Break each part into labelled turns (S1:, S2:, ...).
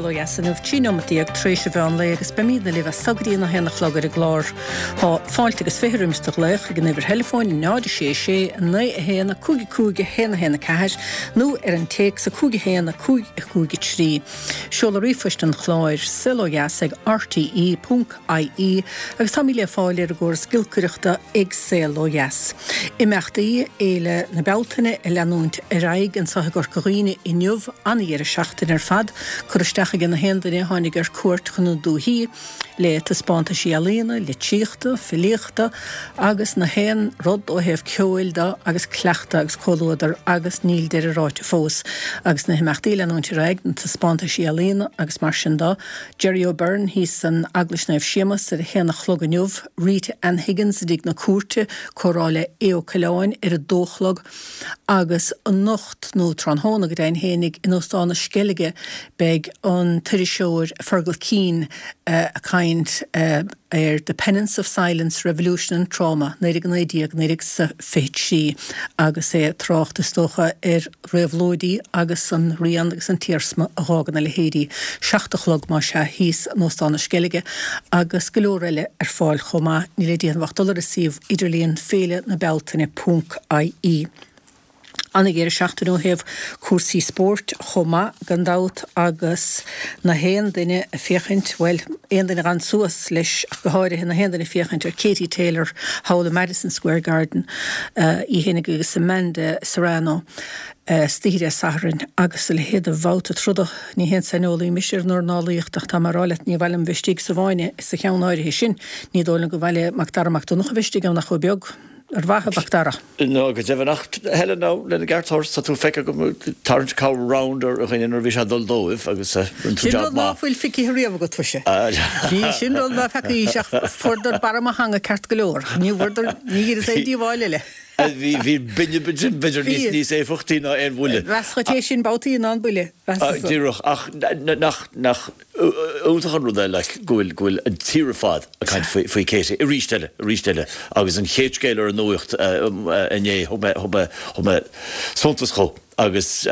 S1: Saol Ó Dheas inniu, 13 nóimeat tar éis an mheán lae agus beimídne libh as so go dtí an 1 a chlog ar an gclár. Tá fáilte agus 20 roimis do ghlaoch ag an uimhir theileafóin 0 6 6 9 1 5 5 1 1 4 nó ar an téacs 5 1 5 5 3. Seoladh ríomhphoist an chláir, saolodheas ag rte. ie agus táimid le fáil ar an gcóras giolcaireachta ag Saol Ó Dheas. Imeachtaí Fhéile na Bealtaine ag leanúint ar aghaidh anseo i gCorca Dhuibhne inniu, ana-dheireadh seachtaine ar fad, cur isteach ag na haon duine a tháinig ar cuairt chun na dúichí, le taispeántaisí ealaíona, litríochta, filíochta agus na haon rud ó thaobh ceoil de agus cleachtadh agus comhluadar agus níl deireadh ráite fós agus na himeachtaí ag leanúint ar aghaidh, na taispeántaisí ealaíona agus mar sin de. Gerry O'Beirne thíos san Eaglais Naomh Séamas ar a haon a chlog inniu, Rita Ann Higgins i dTigh na Cúirte, comhrá le Aodh Ó Coileáin ar a dó a chlog agus anocht, nó tráthnóna go deimhin fhéinig, in Óstán na Sceilge beidh an t-iriseoir Fergal Keane ag caint ar The Penance of Silence, Revolution and Trauma, 1919, 1923 agus é ag trácht is dócha ar réabhlóidí agus an rian agus an t-iarsma a dh'fhágann a leithéidí. 7 a chlog, más ea, thíos in Óstán na Sceilge agus go leor eile ar fáil chomh maith. Níl le déanamh ach dul ar an suíomh idirlíon féile na bealtaine ponc ie. Ana-dheireadh seachtaine ó thaobh cúrsaí spóirt chomh maith, gan dabht, agus na haon duine ag féachaint, bhuel, aon duine a d'fhan suas leis ach go háirithe, na haon duine ag féachaint ar Katie Taylor thall i Madison Square Garden, í fhéinig agus Amanda Serrano istoíche Dé Sathairn agus a leithéid de bhabhta troda. Ní haon saineolaí mise ar an dornálaíocht ach tá mé a rá leat ní mhaith liom bheith istigh sa bhfáinne sa cheann áirithe sin. Ní dóigh liom gur mhaith le Mac Dara Mac Donncha bheith istigh ann ach chomh beag. Ar mhaith, a Mhac Dara?
S2: Ná go deimhin ach Helen now lena gceart a thabhairt tá tú feicthe agam ag tarraingt cabhair round ar dhuine nuair a bhí sé ag dul dóibh agus rinne tú
S1: Sin
S2: job
S1: rud ná
S2: maith.
S1: fuil feicthe riamh agat mhuise. Bhí sin rud ná feacaís ach fuaireadar barra mo theanga ceart go leor. Ní bhfuaireadar, ní dheireas aon díobháil eile.
S2: Bhí, bhí binne b'fhéidir
S1: Bhí.
S2: níos, níos éifeachtaí ná aon bhuille.
S1: Mheas dhuit é sin babhtaí ná an buille, mheasas-sa.
S2: Díreach, ach nach, nach iontach an rud é like go bhfuil, go bhfuil an tír ar fad ag caint faoi, faoi Katie arís eile, arís eile agus an chéad scéal ar an nuacht inné thug mé, thug mé, thug mé suntas dhó agus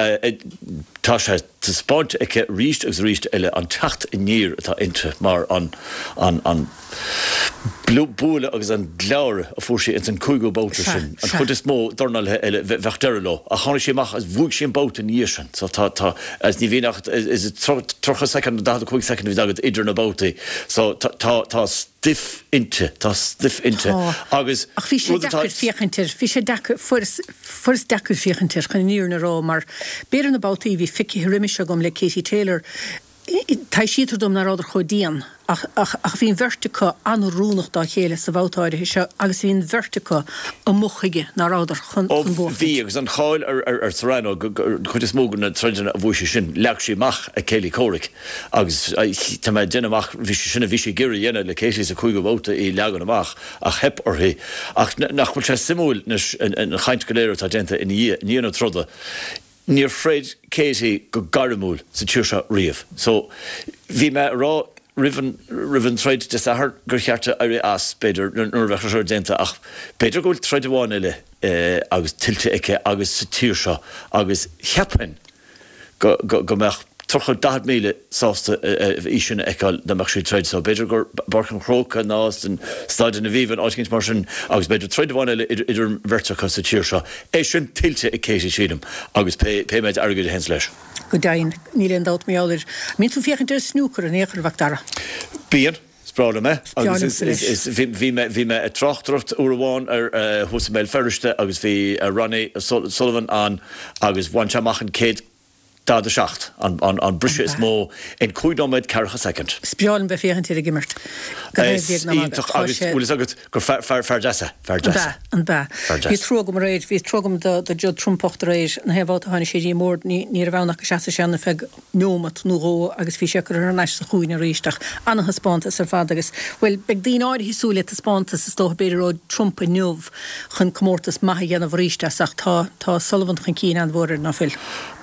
S2: tá sé taispeáinte aici arís agus arís eile an teacht aniar atá inti mar an, an, an bualadh agus an gleáradh a fuair sí ins an cúigiú babhta sin. An chuid is mó dornálaithe eile bheadh deireadh leo. Ach tháinig sí amach agus bhuaigh sí an babhta ina dhiaidh sin. So tá, tá, agus ní bhíonn ach is it 30 soicind nó 45 soicind a bhíonn agat idir na babhtaí. So tá, tá, tá stuif inti, tá stuif inti.
S1: Tá.
S2: Agus
S1: Ach bhí sé
S2: rud atá.
S1: deacair féachaint air, bhí sé deacair, fuaireas, fuaireas deacair féachaint air chun an fhírinne a rá mar b'fhéidir na babhtaí a bhí feicthe roimis agam le Katie Taylor, Taibhsítear dom nach rabhadar chomh dian, ach, ach, ach bhí an bheirt acu an-oiriúnach dá chéile sa bhabhta áirithe seo agus bhí an bheirt acu amuigh chuige nach rabhadar chun,
S2: Ó,
S1: chun buachtaint.
S2: bhí, agus an cháil ar, ar, ar Serrano, go, go, an chuid is mó de na troideanna a bhuaigh sí sin, leag sí amach a céilí comhraic agus tá mé ag déanamh amach, bhí sé sin a bhí sí ag iarraidh a dhéanamh le Katie sa chúigiú babhta, í a leagan amach, ach theip uirthi. Ach nach bhfuil sé suimiúil anois, an, an chaint go léir atá déanta ina dhiaidh, i ndiaidh na troda, Níor throid Katie go gairmiúil sa tír seo riamh. So, bhí mé a rá roimh an, roimh an troid Dé Sathairn gur cheart di éirí as, b'fhéidir, nuair a bheadh sé déanta ach b'fhéidir go bhfuil troid amháin eile agus tuillte aici agus sa tír seo agus cheapfainn go, go, go mbeadh 30, 40,000 sásta í sin a fheiceáil dá mbeadh sí ag troid. So b'fhéidir gur i bPáirc an Chrócaigh ná san Staid an Aviva nó áit éicint mar sin agus b'fhéidir troid amháin eile idir an bheirt acu sa tír seo. É sin tuillte ag Katie sílim agus pé méid airgid a théanns leis.
S1: Go deimhin, níl aon dabht mar gheall air. An mbíonn tú ag féachaint ar an snúcar in aon chor, a Mhac Dara?
S2: Bíonn. Is breá liom é.
S1: Is breá
S2: Agus
S1: liomsa leis.
S2: is, is, bhí mé, bhí mé ag tráchtaireacht uair amháin ar, thuas i mBéal Feirste agus bhí Ronnie Sullivan ann agus bhain sé amach an céad 47, an briseadh is mó in 5 nóiméad 40 soicind.
S1: Is breá liom bheith féachaint air ag imirt. Gan aon
S2: Is
S1: bhréag ná magadh.
S2: iontach
S1: Tá
S2: agus
S1: sé.
S2: bhfuil fhios agat gur fear, fear, fear deas é. Fear
S1: An
S2: deas.
S1: b'ea? An b'ea?
S2: Fear
S1: Bhí
S2: deas.
S1: trua agam aréir, bhí trua agam do, do Judd Trump bocht aréir, na haon bhabhta a tháinig sé dtí an mbord, ní, ní raibh ann ach go seasfadh sé ann ar feadh neomat nó dhó agus bhí sé curtha thar n-ais sa chúinne arís ach ana-thaispeántas ar fad agus, bhuel, beidh daoine áirithe ag súil le taispeántas is dócha b'fhéidir ó Trump inniu chun comórtas maith a dhéanamh arís as ach tá, tá Sullivan chun cinn an-mhór air, ná fuil?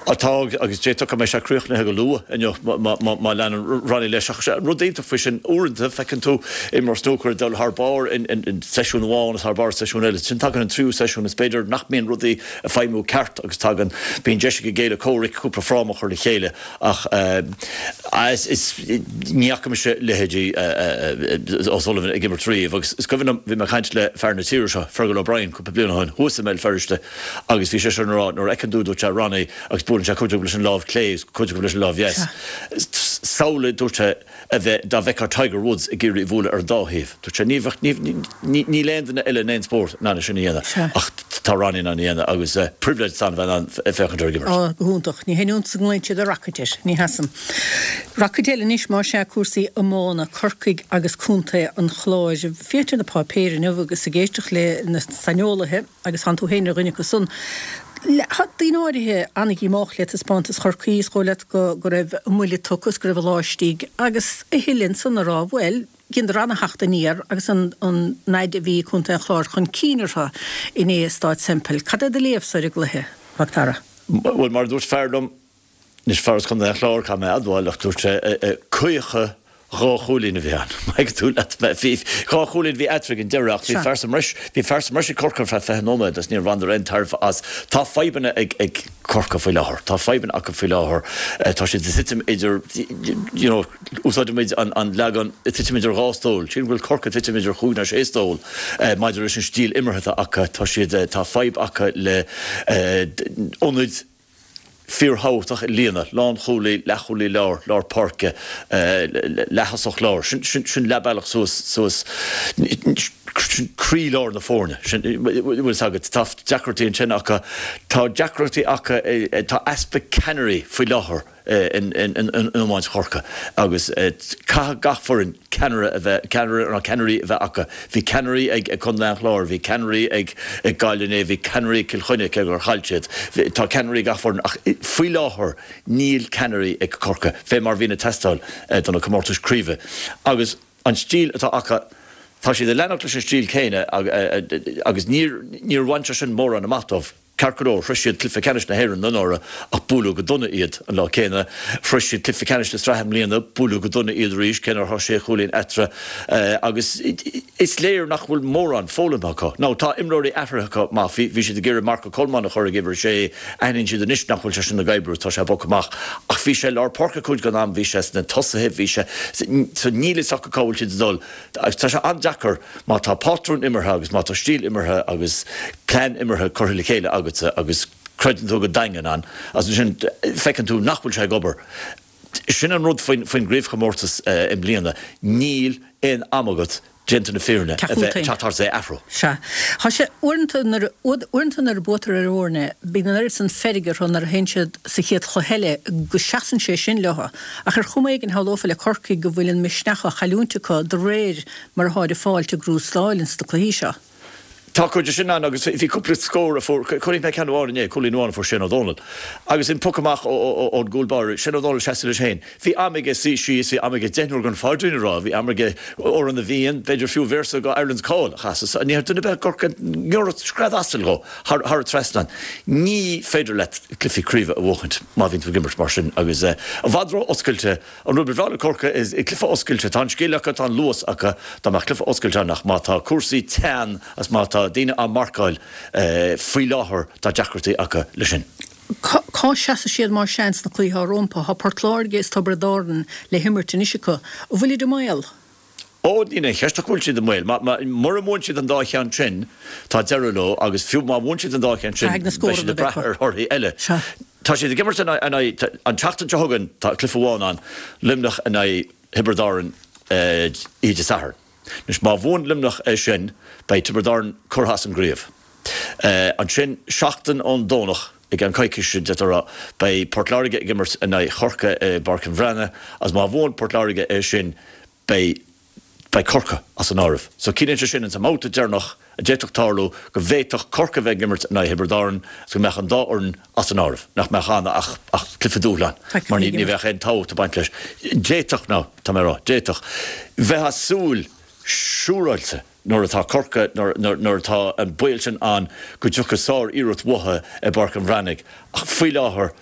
S2: Tá, agus d'fhéadfadh go mbeidh sé críochnaithe go luath inniu má leanann Ronnie leis. Ach an rud iontach faoi sin, uaireanta feiceann tú imreoir snúcair ag dul thar barr in seisiún amháin is thar barr i seisiún eile. Ansin tagann an tríú seisiún is b'fhéidir nach mbíonn rudaí ag feidhmiú ceart agus tagann, bíonn deis ag a gcéile comhraic cúpla fráma a chur le chéile ach is, ní fhaca mise leithéidí O'Sullivan ag imirt riamh agus is cuimhin liom, bhí mé ag caint le fear na tíre seo, Fergal O'Brien, cúpla bliain ó shin thuas i mBéal Feirste, Agus bhí seisean ag rá, nuair a fheiceann tú, dúirt sé, Ronnie, agus buaileann sé cuid acu leis an lámh chlé agus cuid acu leis an lámh dheas. Samhlaigh, dúirt sé, a bheith, dá bhfeicfeá Tiger Woods ag iarraidh a bhualadh ar an dá thaobh. Dúirt sé, ní bheadh, ní, ní, níl aon duine eile in aon spórt in ann é sin a dhéanamh, ach tá Ronnie in ann a dhéanamh agus pribhléid atá ann a bheith in ann féachaint air ag imirt.
S1: Á, go hiontach. Ní haon iontas go nglaonn siad 'Rocket' air. Ní hea san. Rocket eile anois, más ea, cúrsaí iomána, Corcaigh agus Contae an Chláir. Féachaint ar na páipéir inniu agus ag éisteacht le na saineolaithe, Agus tánn tú féin ar dhuine acu san. Tá daoine áirithe an-dhíomách le taispeántas Chorcaí, is dóigh leat go raibh a mbuille tugtha is go raibh a lá istigh agus a thuilleadh ansan a rá, bhuel, dheineadar an-theacht aniar agus an fhaid a bhí Contae an Chláir chun cinn orthu inné i Stáid Semple. Cad é do léamhsa ar an gcluiche, a Mhac Dara?
S2: Bhuel, mar a dúirt fear liom, Anois fear as Contae an Chláir, caithfidh mé a admháil, ach dúirt sé, caochadh 2 chúilín a bhí ann. Má thuigeann tú leat mé. Bhí 2 chúilín a bhí eatarthu ag an deireadh ach bhí fear sa mbreis, bhí fear sa mbreis ag Corcaigh ar feadh 20 nóiméad agus níor bhaineadar aon tairbhe as. Tá fadhbanna ag ag Corcaigh faoi láthair. Tá fadhbanna acu faoi láthair. Tá siad ag titim idir, you know, úsáidimid an an leagan ag titim idir dhá stól. Sílim go bhfuil Corcaigh ag titim idir chúig nó sé stól maidir leis an stíl imeartha atá acu. Tá siad, tá fadhb acu le ionaid, fíorthábhachtach a líonadh, lánchúlaí, leathchúlaí láir, lár páirce, leath-thosach láir, sin, sin, sin leath bealach suas, suas, sin croílár na foirne, sin, bhfuil fhios agat, tá deacrachtaí ansin acu, tá deacrachtaí acu, tá easpa ceannairí faoi láthair in, in, in, in iomáint Chorcaí agus caithfidh gach foireann ceannaire a bheith, ceannaire nó ceannairí a bheith acu. Bhí ceannairí ag Contae an Chláir, bhí ceannairí ag Gaillimh inné, bhí ceannairí ag Cill Chainnigh cé gur chaill siad. Tá ceannairí ag gach foireann ach faoi láthair níl ceannairí ag Corcaigh fé mar a bhíonn ag teastáil do na comórtais craoibhe. Agus an stíl atá acu, tá siad ag leanacht leis an stíl céanna agus níor, níor bhain sé sin mórán amach dóibh. Ceart go leor, shroich siad cluiche ceannais na hÉireann anuraidh ach buaileadh go dona iad an lá céanna. Shroich siad cluiche ceannais na sraithe i mbliana, buaileadh go dona iad arís, cé nach raibh sé chúilín eatarthu. Agus is léir nach bhfuil mórán foghlamtha acu. Now, tá imreoirí athraithe acu, maith, bhí siad ag iarraidh Marco Coleman a chur ag uimhir a sé, aithníonn siad anois nach bhfuil sé sin ag oibriú, tá sé bogtha amach. Ach bhí sé i lár páirce cuid den am, bhí sé sna tosaithe, bhí sé, so níl fhios acu cá bhfuil siad ag dul. Agus tá sé an-deacair má tá pátrún imeartha agus má tá stíl imeartha agus plean imeartha curtha le chéile agatsa agus creideann tú go daingean ann agus ansin feiceann tú nach bhfuil sé ag obair. Sin an rud faoin gcraobhchomórtas i mbliana, níl aon am agat, déanta na fírinne, a bheith ag teacht thart is é a athrú.
S1: Sea. Tá sé, uaireanta nuair, uaireanta nuair a buaitear ar fhoirne, bíonn an oiread san feirge orthu nuair a théann siad sa chéad chluiche eile go seasann sé sin leo. Ach ar chuma éigin shamhlófá le Corcaigh go bhfuil an misneach á chailliúint acu de réir mar atáid ag fáilt a gcrústáil ins na cluichí seo.
S2: Tá cuid de sin ann agus bhí cúpla scór a fuair, chonaic mé ceann amháin inné, cúilín amháin a fuair Shane Ó Dónaill agus an poc amach ón gcúl báire, Shane Ó Dónaill seasta leis féin. Bhí am aige suí síos, bhí am aige deichniúr den phaidrín a rá, bhí am aige Amhrán na bhFiann, b'fhéidir fiú véarsa go Ireland's Call a chasadh. Ní raibh duine ar bith i gCorcaigh ngiorracht scread asail dhó thar an trasnán. Ní féidir leat cluichí craoibhe a bhuachaint má bhíonn tú ag imirt mar sin agus i bhfad ró-oscailte An rud ba bhreá le Corcaigh is cluiche oscailte. Tá an scil acu, tá an luas acu. Dá mbeadh cluiche oscailte ann ach má tá cúrsaí teann agus má tá daoine á marcáil faoi láthair tá deacrachtaí acu leis sin.
S1: Cá seasfaidh siad más ea ins na cluichí atá rompu? Tá Port Láirge is Tiobraid Árann le himirt anois acu. An bhfuilid i mbaol?
S2: Ó, níl aon cheist ach go bhfuil siad i mbaol. Mura mbuann siad an dá cheann sin, tá deireadh leo agus fiú má bhuann siad an dá cheann sin, beidh siad ag brath ar thorthaí eile. Tá siad ag imirt in aghaidh, an tseachtain seo chugainn, tá cluiche amháin ann, Luimneach in aghaidh Thiobraid Árann oíche Dé Sathairn. Anois, má bhuann Luimneach é sin, beidh Tiobraid Árann curtha as an gcraobh. Ansin, seachtain ón Domhnach, i gceann coicíse, d'fhéadfá a rá, beidh Port Láirge ag imirt in aghaidh Chorcaí i bPáirc an Bhreathnaigh agus má bhuann Port Láirge é sin, beidh beidh Corcaigh as an áireamh. So ciallaíonn sé sin, ins an mbabhta deireanach a d'fhéadfadh tarlú, go bhféadfadh Corcaigh a bheith ag imirt in aghaidh Thiobraid Árann agus go mbeadh an dá fhoireann as an áireamh, nach mbeadh ann ach ach cluiche dúshláin mar ní ní bheadh aon tábhacht ag baint leis. D'fhéadfadh, now, tá mé ag rá, d'fhéadfadh. Bheifeá ag súil siúráilte nuair atá Corcaigh, nuair nuair nuair atá an baol sin ann go dtiocfaidh sár-iarracht uathu i bPáirc an Bhreathnaigh ach faoi láthair.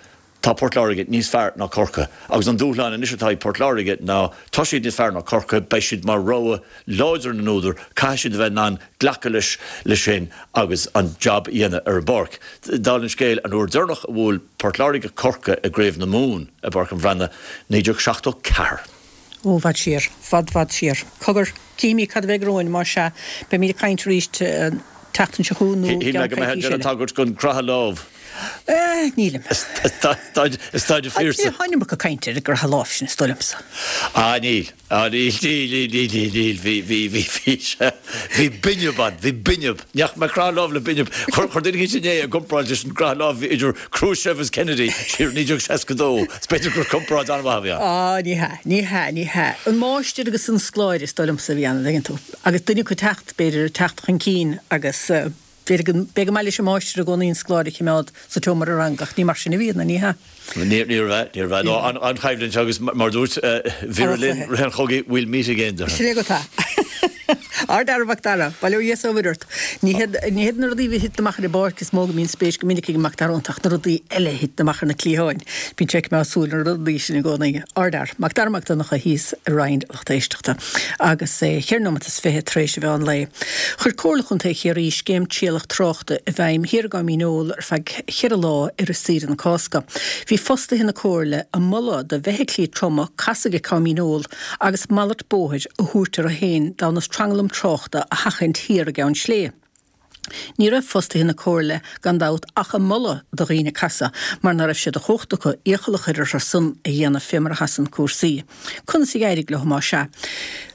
S2: Tá Port Láirge níos fearr ná Corcaigh agus an dúshlán anois atá ag Port Láirge ná tá siad níos fearr ná Corcaigh, beidh siad mar rogha láidir na n-údar, caithfidh siad a bheith in ann glacadh leis leis sin agus an jab a dhéanamh ar an bpáirc. Dála an scéil, an uair deireanach a bhuail Port Láirge Corcaigh i gCraobh na Mumhan i bPáirc an Bhreathnaigh, 1974.
S1: Ó, i bhfad siar. Fad, fad siar. Cogar, cífimid cad a bheidh romhainn, más ea. Beimid ag caint arís an tseachtain seo chugainn nó i
S2: Shíl mé
S1: gceann
S2: go mbeifeá ag
S1: coicíse
S2: déanamh
S1: eile.
S2: tagairt don gcroitheadh lámh.
S1: Eh, nílim.
S2: Is staid fíorsa.
S1: Tá an iomarca cainte ar an gcroitheadh lámh sin, is dóigh liomsa.
S2: Ah, níl. Ah, níl, níl, níl, níl, níl, níl. Bhí, bhí, bhí, bhí sé, bhí binb ann, bhí binb. Ní fhaca mé croitheadh lámh le binb. Chuir, chuir duine éicint inné i gcomparáid leis an gcroitheadh lámh a bhí idir Khrushchev agus Kennedy siar i 1962. Is b'fhéidir gur comparáid an-mhaith a bhí ann.
S1: Ah, ní hea, ní hea, ní hea. An máistir agus an scoláire is dóigh liomsa a bhí ann, an dtuigeann tú. Agus duine acu ag teacht, b'fhéidir, ag teacht chun cinn agus b'fhéidir go, beidh go maith leis an máistir i gcónaí an scoláire a choimeád sa tseomra ranga ach ní mar sin a bhíonn, ní hea?
S2: Níorbh ea, níorbh ea. No, an-choimhlint agus mar dúirt Vera Lynn rith an chogaidh, we'll meet again, déarfainn.
S1: Sin é go tá. Ardfhear, a Mhac Dara, bail ó Dhia is ó Mhuire ort. Ní hiad, ní hiad na rudaí a thiteann amach ar an bpáirc is mó go mbíonn spéis go minic ag an Mac Dara iontu ach na rudaí eile a thiteann amach ar na cliatháin. Bíonn sé ag coimeád súil ar na rudaí sin i gcónaí. Ardfhear, Mac Dara Mac Donncha thíos i Roinn Lucht Éisteachta agus é cheithre nóimeat is 20 tar éis an mheán lae. Chuir Comhairle Chontae Chiarraí scéim trialach tráchta i bhfeidhm thiar i gCom Dhíneol ar feadh cheithre lá i rith saoire na Cásca. Bhí fostaithe na Comhairle ag moladh do bhfeithiclí troma casadh ag Com Dhíneol agus malairt bóthair a thabhairt orthu féin d'fhonn an tranglam tráchta a sheachaint thiar i gCeann Sléibhe. Ní raibh fostaithe na Comhairle, gan dabht, ach ag moladh do dhaoine casadh, mar ná raibh sé de chumhacht acu iachall a chur orthu san a dhéanamh fé mar a sheasann cúrsaí. Conas a d'éirigh leo, más ea?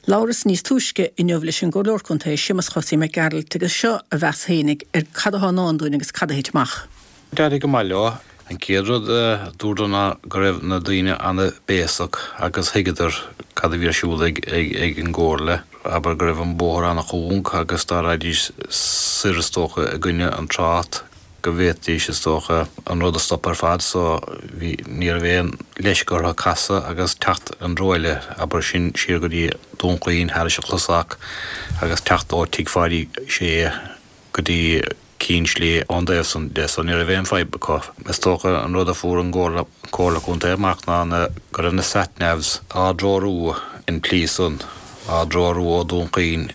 S1: Labhras níos túisce inniu leis an gComhairleoir Contae, Séamus Chosaí Mac Gearailt, agus seo a mheas fhéinig ar cad atá i ndán dúinn agus cad a thit amach.
S3: D'éirigh go maith leo. An chéad rud a dúradar ná go raibh na daoine an-bhéasach agus thuigeadar cad a bhí ar siúl ag an gComhairle, abair go raibh an bóthar an-chúng agus dá raghaidís soir is dócha i gcoinne an trácht go bhféadfaidís is dócha an rud a stopadh ar fad so bhí, ní raibh aon leisce orthu casadh agus teacht an treo eile, abair sin siar go dtí Dún Chaoin thairis an Chlosach agus teacht ó Tigh Pháidí Sé go dtí Cinn Sléibhe ón dtaobh san de so ní raibh aon fadhb acu. Is dócha an rud a fuair an gComhairle Comhairle Contae amach ná na go raibh na sat-navs á dtreorú an tslí san, á dtreorú ó Dún Chaoin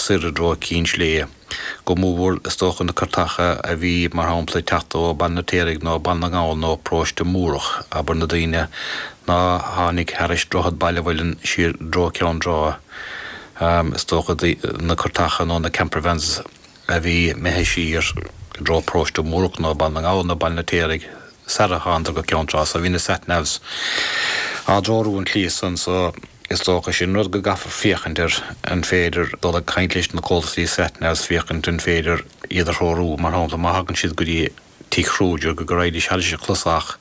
S3: soir i dtreo Cinn Sléibhe. Go mórmhór is dócha na cairteacha a bhí mar shampla ag teacht ó Baile an Fheirtéaraigh nó Baile na nGall nó Paróiste Múrach, abair na daoine ná tháinig thairis Droichead Baile Mhuilinn siar i dtreo Ceann Trá. Is dócha na cairteacha nó na campervans a bhí imithe siar i dtreo Paróiste Múrach nó Baile na nGall nó Baile an Fheirtéaraigh sara thánadar go Ceann Trá so bhí na sat-navs á dtreorú an tslí san so is dócha sin rud go gcaithfear féachaint air an féidir dul ag caint leis na comhlachtaí sat-navs féachaint an féidir iad a threorú mar shampla má thagann siad go dtí Tigh Kruger go raghaidís thairis an Chlosach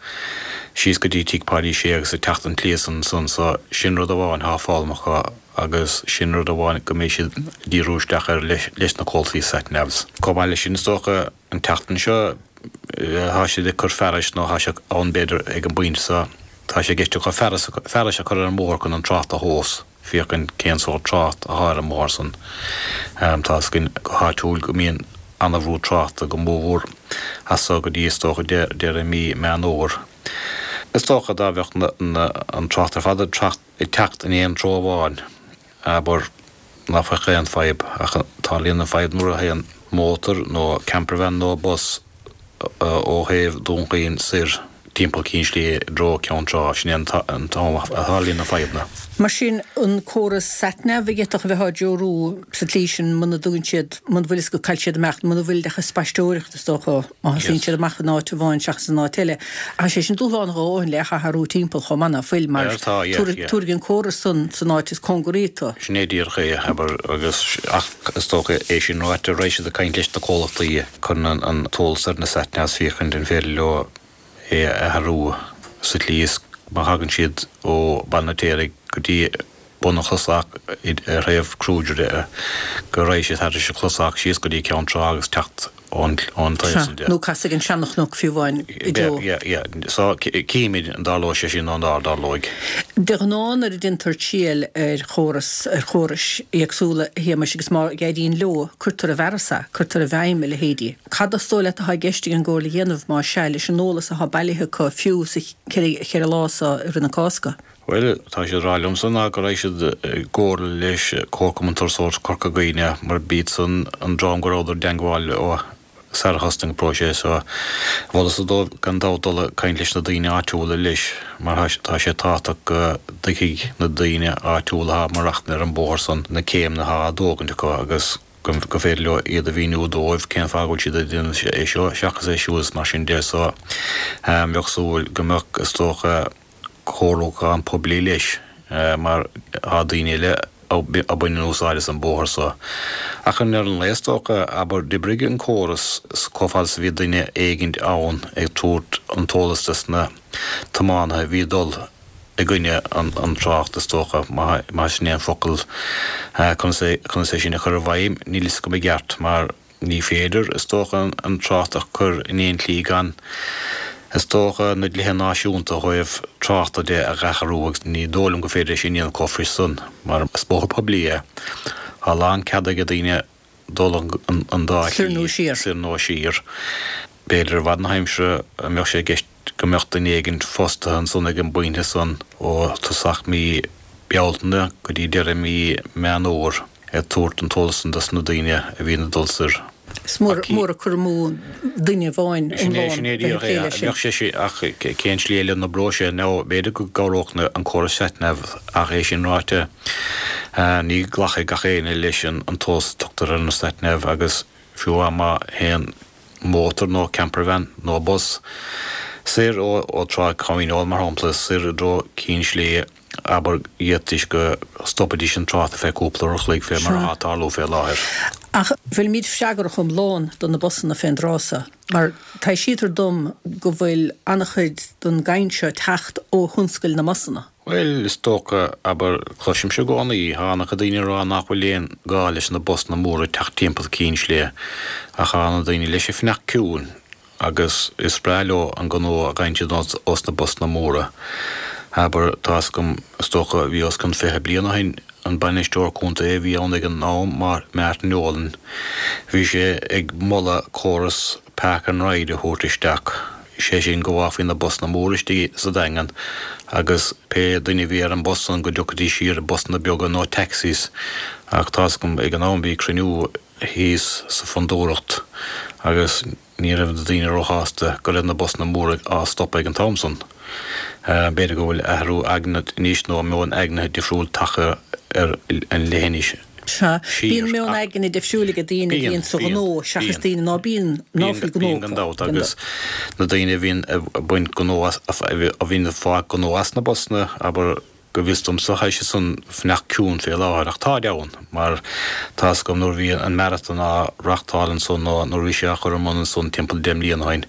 S3: síos go dtí Tigh Pháidí Sé agus ag teacht an tslí san ansan so sin rud amháin thá foghlamtha acu agus sin rud amháin go mbeidh siad ag díriú isteach air leis na comhlachtaí sat navs. Chomh maith leis sin is dócha an tseachtain seo thá siad ag cur fearais nó thá sé ann b'fhéidir ag an bpointe seo tá sé i gceist acu fearas fearais a chur ar an mbóthar chun an trácht a thomhas. féachaint cén sórt trácht athá ar an mbóthar san. Tá fhios againn go háitiúil go mbíonn ana-bhrú tráchta go mórmhór as so go dtí is dócha deireadh mí Meán Fhómhair. Is dócha dá bheadh an trácht ar fad ag teacht in aon treo amháin, abair, ná bheadh aon fadhb ach tarlaíonn an fadhb nuair a théann mótar nó campervan nó bus ó thaobh Dún Chaoin soir timpeall Cinn Sléibhe i dtreo Ceann Trá, sin é an t-am a tharlaíonn na fadhbanna.
S1: Mar sin, an córas satnav a d'fhéadfadh a bheith á dtreorú sa tslí sin muna dtugann siad, muna bhfuil fhios agat cá bhfuil siad ag imeacht, muna bhfuil ach ag spaisteoireacht is dócha, má thosaíonn siad amach in áit amháin seachas in áit eile. Tá sé sin dúshlánach a dhóthain le hathrú timpeall chomh maith ná fuil, mar tabharfaidh an córas san san áit is cóngaraí tú.
S3: Sin é díreach é, abair, agus ach is dócha é sin ráite, raghaidh siad ag caint leis na comhlachtaí. Cuireann an t-eolas ar na satnavs féachaint an féidir leo é a athrú sa tslí is má thagann siad ó Baile an Fheirtéaraigh go dtí bun an Chlosach ar thaobh Kruger de go raghaidh siad thairis an Chlosach síos go dtí Ceann Trá agus teacht. Ón taobh
S1: san de. Nó casadh ag an Seanchnoc fiú amháin i dtreo.
S3: Yeah, yeah. So, címid an dtarlóidh sé sin nó nár dtarlóidh.
S1: De ghnáth nuair a déantar triail ar chóras, ar chórais éagsúla, a Shéamais, agus má éiríonn leo, cuirtear i bhfearas é, cuirtear i bhfeidhm a leithéidí. Cad is dóigh leat atá i gceist ag an gComhairle a dhéanamh, más ea, leis an eolas atá bailithe acu fiú sa cheithre lá so i rith na Cásca?
S3: Bhuel, tá siad ag rá liomsa ná go raibh siad i gcomhairle leis Comharchumann Turasóireachta Corca Dhuibhne mar b'iad san an dream go rabhadar i dteangmháil leo sar a thosnaigh an próiseas so mholfadh-sa dóibh gan dabht dul ag caint leis na daoine áitiúla leis mar tá sé tábhachtach go dtuigfidh na daoine áitiúla atá ag maireachtaint ar an bóthar san na céimeanna atá á dtógaint acu agus go féidir leo iad a mhíniú dóibh cén fáth go bhfuil siad ag déanamh é seo seachas é siúd is mar sin de so bheadh súil go mbeadh is dócha comhairliúchán poiblí leis mar tá daoine eile a baineann úsáid as an bóthar so. Ach i ndeireadh an lae is dócha, abair, d'oibrigh an córas chomh fada is a bhí duine éigint ann ag tabhairt an t-eolas dos na tiománaithe a bhí ag dul i gcoinne an trácht is dócha, má sin é an focal. Conas é, conas é sin a chur i bhfeidhm, níl fhios agam i gceart mar. Ní féidir, is dócha, an trácht a chur in aon tslí gan, is dócha, na dlíthe náisiúnta ó thaobh tráchta de a dh'athrú agus ní dóigh liom gur féidir é sin a dhéanamh chomh fuirist san, mar is bóthar poiblí é. Tá a lán cead ag daoine dul an dá
S1: shlí,
S3: soir nó siar. B'fhéidir i bhfad na haimsire a mbeadh sé i gceist go mbeadh duine éigin fostaithe ansan ag an bpointe san ó tosach mí Bealtaine go dtí deireadh mí Meán Fhómhair ag tabhairt an t-eolas san dos na daoine a bhíonn ag dul soir.
S1: Is mór an cur amú duine amháin
S3: Sin é, sin é díreach é. Bheadh sé sin, ach cén slí eile a n-oibreodh sé? Nó b'fhéidir go gcabhródh an córas satnav ach é sin ráite, ní ghlacfaidh gach éinne leis an t-eolas a tugtar ar an satnav agus fiú amháin má théann mótar nó campervan nó bus soir ó Trá Choinneáil, mar shampla, soir i dtreo Cinn Sléibhe, abair, d'fhéadfaidís go stopfaidís an trácht ar feadh cúpla uair a chloig fé mar atá ag tarlú fé láthair.
S1: Ach bhfuilimid freagrach iomlán do na busanna fén dtráth so? Mar taibhsítear dom go bhfuil an-chuid den gcaint seo ag teacht ó thionscail na mbusanna.
S3: Bhuel, is dócha, abair, cloisimse i gcónaí, tá an-chuid daoine ag rá nach bhfuil aon gá leis na busanna móra ag teacht timpeall Cinn Sléibhe, ach tá na daoine leis ag fanacht ciúin agus is breá leo an gnó a gheibheann siad ós na busanna móra. Abair, tá fhios agam, is dócha, bhí os cionn 20 bliain ó shin, an bainisteoir contae a bhí ann ag an am, Martin Nolan, bhí sé ag moladh córas Park and Ride a thabhairt isteach, sé sin go bhfágfaí na busanna móra istigh sa Daingean agus pé duine a bhí ar an bus san go dtiocfaidís siar i busanna beaga nó taxis ach tá fhios agam ag an am bhí cruinniú thíos sa Fondúireacht agus ní raibh na daoine róshásta go raibh na busanna móra á stopadh ag an t-am san. B'fhéidir go bhfuil athrú aigne anois nó meon aigne difriúil tagtha ar an leithinis.
S1: Sea. Bíonn meon aigne difriúil ag daoine a bhíonn sa ghnó seachas daoine ná bíonn, ná fuil
S3: gnó acu. Bíonn gan dabht agus na daoine a bhíonn ag baint gnó as, a bhíonn ag fáil gnó as na busanna, abair, go bhfios domsa, tá siad san fanacht ciúin fé láthair ach táid ann mar tá fhios agam nuair a bhí an marathon á reachtáil ansan nó nuair a bhí sé á chur ar bun ansan timpeall 10 mbliana ó shin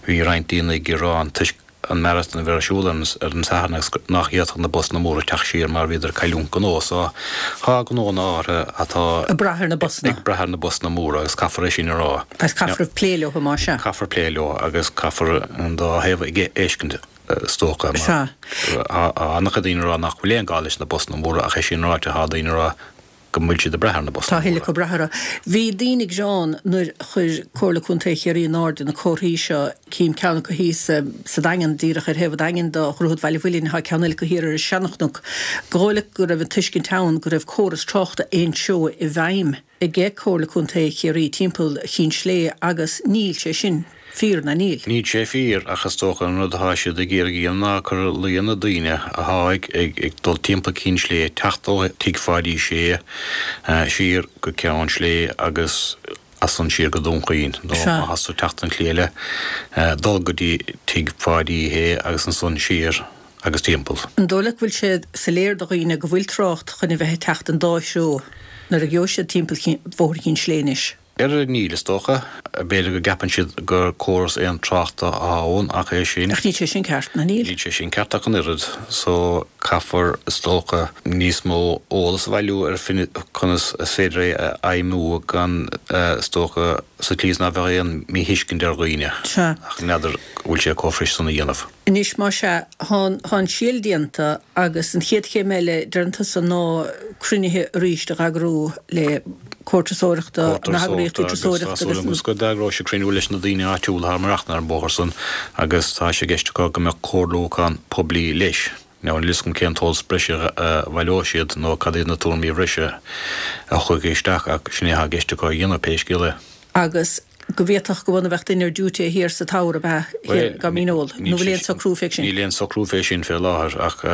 S3: bhí roinnt daoine ag gearán toisc an marathon a bheith ar siúl ar an Satharn agus nach bhféadfadh na busanna móra teacht siar mar bhíodar ag cailliúint gnó. So tá gnónna áirithe atá
S1: ag brath ar na busanna.
S3: ag brath ar na busanna móra agus caithfear é sin a rá.
S1: Agus caithfear plé leo más
S3: ea. Caithfear plé leo agus caithfear an dá thaobh a fheiscint is dócha mar
S1: Sea.
S3: tá an-chuid daoine ag rá nach bhfuil aon gá leis na busanna móra ach é sin ráite tá daoine ag rá go bhfuil siad ag brath ar na
S1: busanna móra. Tá a thuilleadh acu ag brath orthu. Bhí daoine ag gearán nuair a chuir Comhairle Contae Chiarraí in airde na comharthaí seo, cím ceann acu thíos sa Daingean, díreach ar thaobh an Daingin do Dhroichead Bhaile Mhuilinn, tá ceann eile acu thiar ar an Seanchnoc. Gur dhóigh leat go raibh an tuiscint ann go raibh córas tráchta aon treo i bhfeidhm ag Comhairle Contae Chiarraí timpeall Chinn Sléibhe agus níl sé sin fíor, ná níl?
S3: Níl sé fíor, ach is dócha an rud atá siad ag iarraidh a dhéanamh ná cur i luí ar na daoine athá ag dul timpeall Cinn Sléibhe teacht ó Tigh Pháidí Sé siar go Ceann Sléibhe agus as san siar go Dún Chaoin, nó má thá tú ag teacht an tslí eile, dul go dtí Tigh Pháidí Shé agus ansan siar agus timpeall.
S1: An dóigh leat go bhfuil sé soiléir do dhaoine go bhfuil trácht chun a bheith ag teacht an dá threo nuair a gheobhaidh siad timpeall Bhóthar Chinn Sléibhe anois?
S3: Ar níl, is dócha. B'fhéidir go gceapann siad gur córas aon tráchta atá ann ach é sin.
S1: Ach níl sé sin ceart, ná níl?
S3: Níl sé sin ceart ach an oiread. So, caithfear, is dócha, níos mó eolas a bhailiú ar conas is féidir é a fheidhmiú gan, is dócha, sa tslí is ná bheadh aon míthuiscint ar dhaoine.
S1: Sea.
S3: Ach n'fheadar go bhfuil sé chomh fuirist san a dhéanamh.
S1: Anois, más ea, tá an síol déanta agus an chéad chéim eile, deireann tusa, ná cruinnithe arís a eagrú le Comhar Turasóireachta, na heagraíochtaí
S3: turasóireachta agus. Tá súil agam go d'eagróidh siad cruinniú leis na daoine áitiúla atá ag maireachtaint ar an bhóthar san agus tá sé i gceist acu go mbeadh comhairliúchán poiblí leis. Now níl fhios agam cén t-eolas breise a bhaileoidh siad nó cad iad na tuairimí bhreise a thiocfaidh isteach ach sin é atá i gceist acu a dhéanamh pé scéal
S1: é. Agus go bhféadfadh go bhfan a bheadh duine ar duty thiar sa tower ab ea thiar i gCom Mín Óil? Nó bhfuil aon socrú fé sin?
S3: Níl aon socrú fé sin fé láthair ach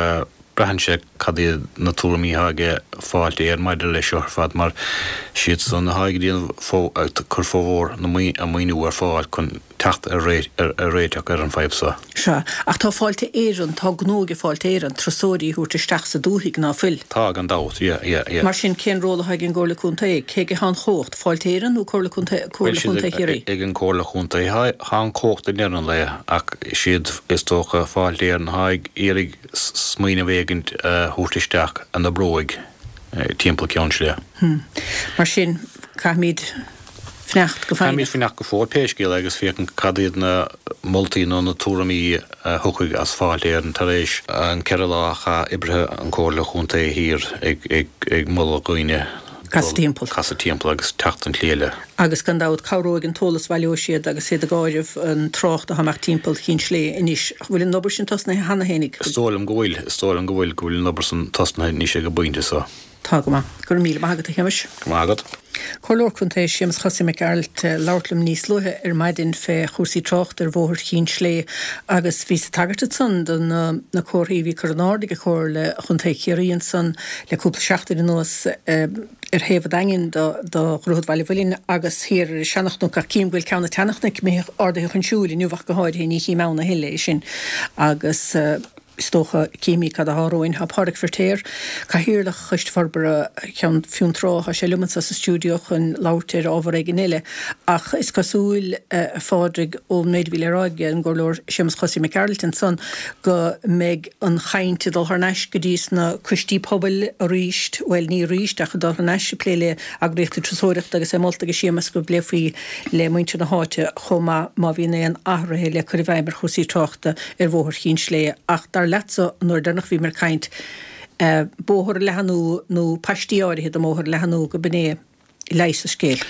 S3: braitheann sé cad iad na tuairimí atá ag Fáilte Éireann maidir leis seo ar fad mar siad san atá ag déanamh ag cur formhór na an maoiniú ar fáil chun teacht ar réiteach ar an
S1: bhfadhb
S3: seo.
S1: Sea, ach tá Fáilte Éireann, tá gnó ag Fáilte Éireann turasóirí a thabhairt isteach sa dúthaigh, ná fuil?
S3: Tá, gan dabht, yeah, yeah, yeah.
S1: Mar sin, cén ról atá ag an gComhairle Contae? Cé aige atá an chumhacht, Fáilte Éireann nó Comhairle Contae, Comhairle Chontae Chiarraí?
S3: Ag an gComhairle Chontae atá an chumhacht i ndeireadh an lae, ach siad, is dócha, Fáilte Éireann atá ag iarraidh smaoineamh éigint a thabhairt isteach a n-oibreoidh timpeall Ceann Sléibhe.
S1: Mar sin, caithfimid fanacht go
S3: foighneach. Caithfimid fanacht go fóill pé scéal é agus féachaint cad iad na moltaí nó na tuairimí a thiocfaidh as Fáilte Éireann tar éis an 4 lá a chaith oibrithe an Chomhairle Chontae thiar ag moladh dhaoine
S1: Casadh timpeall.
S3: casadh timpeall agus teacht an tslí eile.
S1: Agus gan dabht cabhróidh an t-eolas a bhaileoidh siad agus iad ag áireamh an trácht atá ag imeacht timpeall Chinn Sléibhe anois. Bhfuil an obair sin tosnaithe cheana
S3: fhéinig? Is dóigh liom go bhfuil, is dóigh liom go bhfuil, go bhfuil an obair san tosnaithe anois ag an bpointe
S1: so. Tá go maith. Go raibh míle maith agat, a Shéamais.
S3: Go raibh maith agat.
S1: Comhairleoir Contae Séamus Chosaí Mac Gearailt ag labhairt liom níos luaithe ar maidin fé chúrsaí tráchta ar Bhóthar Chinn Sléibhe agus bhíos ag tagairt ansan do na comharthaí a bhí curtha in airde ag Comhairle Chontae Chiarraí ansan le cúpla seachtain anuas ar thaobh an Daingin do Dhroichead Bhaile Mhuilinn agus thiar ar an Seanchnoc ach cím go bhfuil ceann an tSeanchnoic imithe ardaithe chun siúil inniu ach go háirithe ní chím ann a thuilleadh é sin agus Is dócha, cífimid cad atá romhainn. Tá Pádraig Firtéar, Cathaoirleach Choiste Forbartha Cheann Fionntrá, tá sé liom anseo sa stiúideo chun labhairt ar ábhar éigin eile. Ach is cosúil, a Phádraig, ón méid a bhí le rá ag an gComhairleoir Séamus Chosaí Mac Gearailt ansan, go mbeidh an chaint ag dul thar n-ais go dtí sna coistí pobail arís, bhuel, ní arís, ach ag dul thar n-ais ag plé le heagraíochtaí turasóireachta agus é molta ag Séamus go bpléifí le muintir na háite chomh maith má bhíonn aon athruithe le cur i bhfeidhm ar chúrsaí tráchta ar Bhóthar Chinn Sléibhe ach dar leatsa an uair deireanach a bhíomar ag caint, bóthar a leathnú nó paistí áirithe den mbóthar a leathnú go b'in é leigheas an scéil.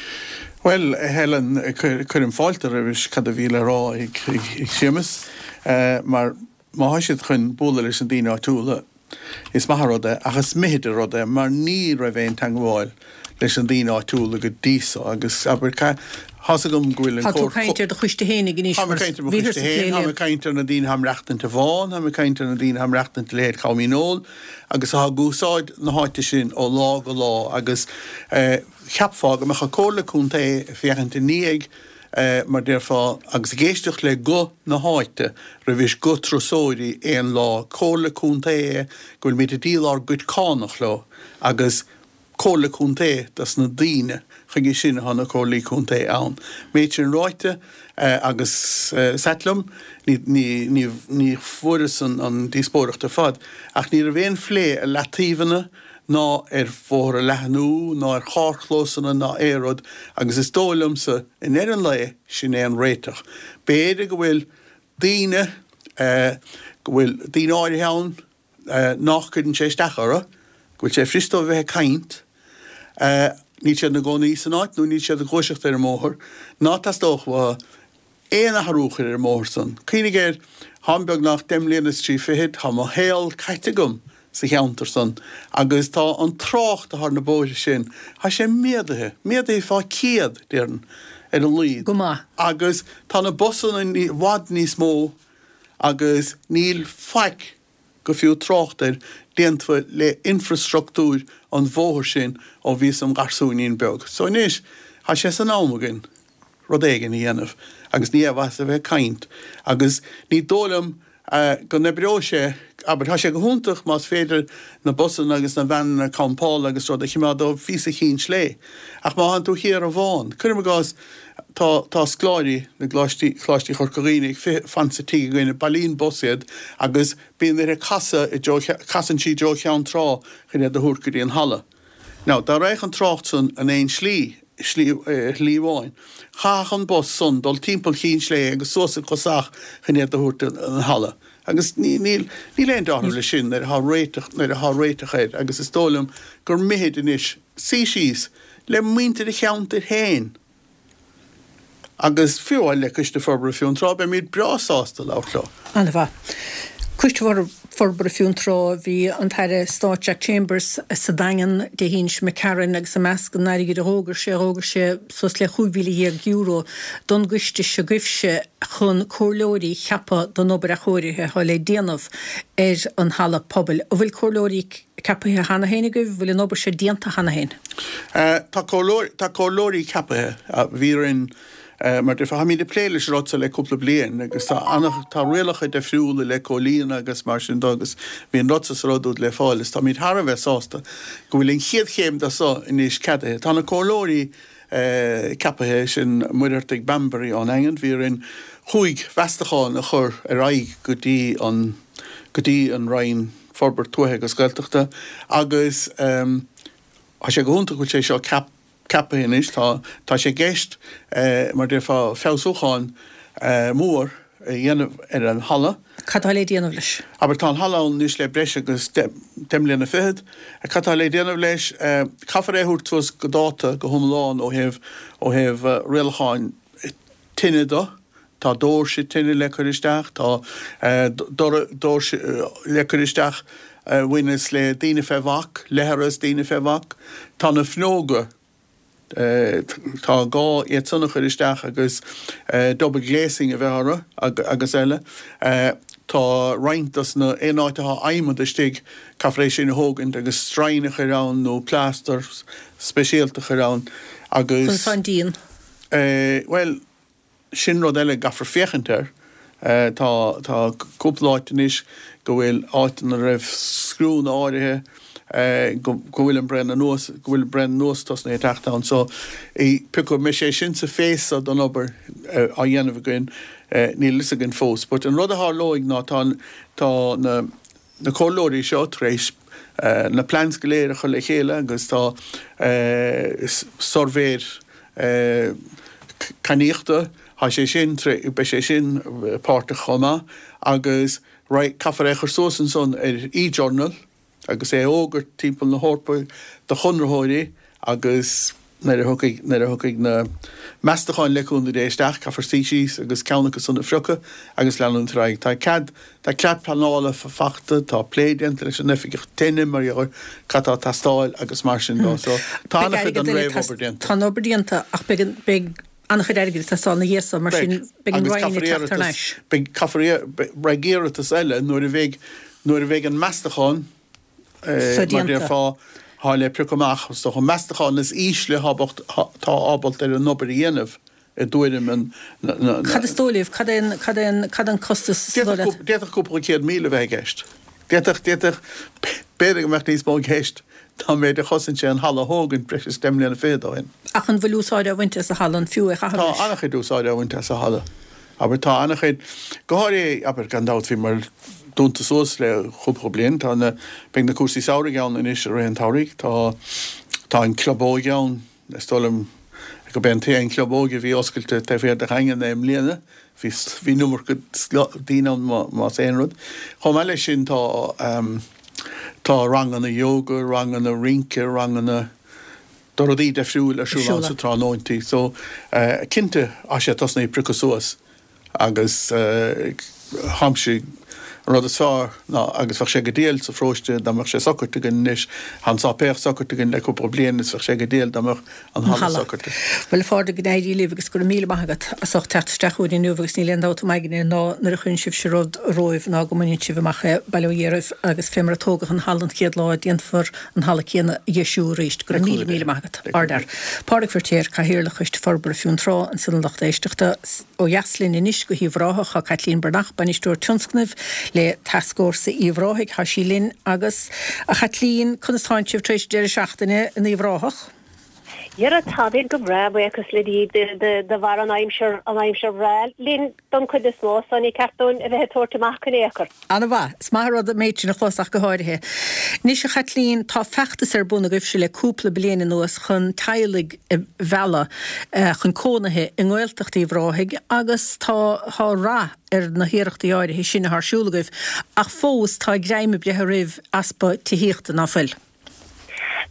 S4: Bhuel, a Helen, cuirim fáilte roimhis cad a bhí le rá ag Séamus, mar má thá siad chun bualadh leis na daoine áitiúla, Is maith an rud é, ach is mithid an rud é, mar ní raibh aon teangmháil leis na daoine áitiúla go dtí so, agus, abair, tá's agam go bhfuil
S1: an Tá tú ag caint ar do choiste fhéinig anois,
S4: mar bhíothar sa phlé Táim ag caint ar na daoine atá ag maireachtaint i bhFán, táim ag caint ar na daoine atá ag maireachtaint i leithéid Chom Dhíneol, agus atá ag úsáid na háite sin ó lá go lá, agus cheapfá go mbeadh an Comhairle Contae ag féachaint i ndiaidh mar déarfá, agus ag éisteacht le guth na háite roimhis guth turasóirí aon lá. Comhairle Contae é go bhfuilimid ag díol ár gcuid cánach leo agus Comhairle Contae dos na daoine, chuige sin atá na Comhairlí Contae ann. Méid sin ráite, agus is ait liom, ní, ní, ní fuaireas an díospóireacht ar fad, ach ní raibh aon phlé ar leataobhanna, ná ar bhóthar a leathnú, ná ar charrchlósanna, ná aon rud, agus is dóigh liomsa, i ndeireadh an lae, sin é an réiteach. B'fhéidir go bhfuil daoine, go bhfuil daoine áirithe ann nách gcuireann sé isteach orthu, go bhfuil sé fuirist dóibh a bheith ag caint, níl siad ina gcónaí san áit nó níl siad ag gluaiseacht ar an mbóthar, ná teastódh uathu aon athrú a chur ar an mbóthar san. Cuimhnigh air, táim beagnach deich mbliana is trí fichid, tá mo shaol caite agam sa cheantar san agus tá an trácht atá ar na bóithre sin, tá sé méadaithe, méadaithe fá chéad, déarfainn, ar a laghad.
S1: Go maith.
S4: Agus tá na busanna i bhfad níos mó agus níl faic go fiú trácht air déanta le infreastruchtúr an bhóthair sin ó bhíos im gharsúinín beag. So anois, tá sé san am againn rud éigin a dhéanamh agus ní aon mhaitheas a bheith ag caint agus ní dóigh liom go n-oibreoidh sé. Abair, tá sé go hiontach más féidir na busanna agus na veaineanna campála agus rud a chimeád ó phíosa Chinn Slé. Ach má thánn tú thiar an Bhán, cuirim i gcás, tá, tá scoláirí na gcoláistí, Coláistí Chorca Dhuibhne ag fan sa tigh againne, bailíonn bus iad agus bíonn uirthi casadh i dtreo, casann sí i dtreo Cheann Trá chun iad a thabhairt go dtí an halla. Now, dá raghadh an trácht san in aon slí, slí, shlí amháin, chaithfeadh an bus san dul timpeall Chinn Slé agus suas an Chosach chun iad a thabhairt an halla. Agus ní, níl, níl aon dealramh leis sin nuair atá réiteach, nuair atá réiteach air agus is dóigh liom gur mithid anois suí síos le muintir an cheantair féin agus fiú amháin le Coiste Forbartha Fionntrá, beimid breá sásta labhairt leo.
S1: An-mhaith. Coiste Forbartha Fionntrá, bhí an tAire Stáit Jack Chambers sa Daingean Dé hAoine seo imigh tharainn agus i measc an airgid a dh'fhógair sé, dh'fhógair sé suas le €15,000 don gcoiste seo agaibhse chun comhairleoirí a cheapadh don obair athchóirithe atá le déanamh ar an halla pobail. An bhfuil comhairleoirí ceapaithe cheana féin agaibh? An bhfuil an obair seo déanta cheana féin?
S4: Tá comhairleoirí ceapaithe. Bhí orainn, mar déarfá, táimid ag plé leis an rud seo le cúpla bliain agus tá ana, tá rialacha difriúla le comhlíonadh agus mar sin de agus bhí an rud seo sa rud úd le fáil is táimid thar a bheith sásta go bhfuil an chéad chéim de seo anois ceadaithe. Tá na comhairleoirí ceapaithe, sin Muircheartaigh Bambury ón nDaingean. Bhí orainn chúig mheastachán a chur ar aghaidh go dtí an, go dtí an Roinn Forbairt Tuaithe agus Gaeltachta agus tá sé go hiontach go bhfuil sé seo ceapaithe anois. Tá, tá sé i gceist, mar déarfá, feabhsúchán mór a dhéanamh ar an halla.
S1: Cad tá le déanamh leis?
S4: Abair, tá an halla ann anois le breis agus deich mbliana fichead. Cad tá le déanamh leis? Caithfear é a thabhairt suas go dáta go hiomlán ó thaobh, ó thaobh rialacháin tine de. Tá doirse tine le cur isteach, tá doirse le cur isteach a bhaineas le daoine fé bhac, leithreas daoine fé bhac. Tá na fuinneoga, tá gá iad san a chur isteach agus double glazing a bheith orthu agus eile. Tá roinnt dos na, aon áit atá adhmad istigh, caithfear é sin a thógaint agus stroighin a chur ann nó plástar speisialta a chur ann agus.
S1: Conas tá an díon?
S4: Bhuel, Sin rud eile a gcaithfear féachaint air. Tá tá cúpla áit anois go bhfuil áit ina raibh scriúnna áirithe go go bhfuil an braon anuas, go bhfuil braon anuas tosnaithe ag teacht ann. So pé acu an mbeidh sé sin sa phéas don obair á dhéanamh againn, níl a fhios againn fós. But an rud a tharlóidh ná tá tá na na comhairleoirí seo tar éis na plans go léir a chur le chéile agus tá suirbhéir cainníochta, tá sé sin, beidh sé sin páirteach chomh maith agus caithfear é a chur suas ansan ar e-journal agus é a fhógairt timpeall na hEorpa do chonraitheoirí agus nuair a thiocfaidh, nuair a thiocfaidh na meastacháin le cúnamh Dé isteach, caithfear suí síos agus ceann acu san a phriocadh agus leanúint ar aghaidh. Tá cead, tá cead pleanála fachta, tá plé déanta leis an oifigeach tine mar gheall ar cad tá ag teastáil agus mar sin de. So tá
S1: Beidh
S4: an-chuid
S1: airgead
S4: den
S1: eile ag
S4: réamhobair déanta.
S1: Tá an obair déanta ach beidh an, beidh an-chuid airgid ag teastáil ina dhiaidh so, mar
S4: Beidh.
S1: sin beidh an
S4: Agus
S1: Roinn ag
S4: caithfear
S1: teacht thar
S4: iarratas,
S1: n-ais.
S4: beidh, caithfear iar, beidh iarratas eile nuair a bheidh, nuair a bheidh an meastachán,
S1: so
S4: Mar
S1: déanta.
S4: déarfá, thá le priocadh amach, is dócha, meastachán is ísle atá ábalta ar an obair a dhéanamh, i dtuairim an, na.
S1: Cad is dóigh libh? Cad é an, cad é an, cad an costas is dóigh leat?
S4: D'fhéadfadh cúpla 100,000 a bheith i gceist. D'fhéadfadh, d'fhéadfadh, b'fhéidir go mbeadh níos mó i gceist ná an méid a chosain sé an halla a thógaint breis is deich mbliana fichead ó shin.
S1: Ach an bhfuil úsáid á bhaint as an halla? An fiú é a chaitheamh
S4: Tá
S1: leis?
S4: an-chuid úsáide á bhaint as an halla. Abair, tá an-chuid, go háirithe, abair, gan dabht, bhíomar dúnta suas le cúpla bliain, tá na, beidh na cúrsaí samhraidh ann anois i rith an tsamhraidh, tá, tá an club óige ann, is dóigh liom gurb é an t-aon chlub óige a bhí oscailte taobh thiar de Dhaingean é i mbliana, bhí, bhí an iomarca daoine ann más aon rud. Chomh maith leis sin tá, tá ranganna yoga, ranganna rince, ranganna. Do rudaí deifriúil ar siúl ann sa tráthnóintí so cinnte tá sé tosnaithe ag priocadh suas agus tháimse an rud is fearr ná agus bheadh sé go diail sa pharóiste dá mbeadh sé socraithe againn anois tá an sáipéal socraithe againn le cúpla bliain is bheadh sé go diail dá mbeadh an halla socraithe.
S1: Bhuel a Phádraig go n-éirí libh agus go raibh míle maith agat as ucht teacht isteach chugainn inniu agus níl aon dabht im' aigne ná nuair a chuireann sibhse rud romhaibh ná go mbaineann sibh amach é bail ó Dhia oraibh agus fé mar a tógadh an halla an chéad lá déanfar an halla céanna a dheisiú arís. Go raibh míle, míle maith agat. Ardfhear. Pádraig Feiritéar, Cathaoirleach Choiste Forbartha Fionntrá, ansin a lucht éisteachta. Ó dheas linn anois go hUíbh Ráthach, tá Caitlín Breathnach, Bainisteoir Tionscnaimh. le Tascfhórsa Uíbh Ráthaigh. Tá sí linn agus, a Chaitlín, conas tánn sibh tar éis deireadh seachtaine in Uíbh Ráthach?
S5: Dhera, táimid go breá, buíochas le Dia, de bharr an aimsir, an aimsir bhreá linn don chuid is mó, so ní ceart dúinn a bheith ag tabhairt amach in aon chor.
S1: An-mhaith. Is maith an rud an méid sin a chlos ach go háirithe. Anois, a Chaitlín, tá feachtas ar bun agaibhse le cúpla bliain anuas chun teaghlaigh a mhealladh chun cónaithe i nGaeltacht Uíbh Ráthaigh agus tá tá rath ar na hiarrachtaí áirithe sin atá ar siúl agaibh ach fós tá greim ag breith oraibh easpa tithíochta, ná fuil?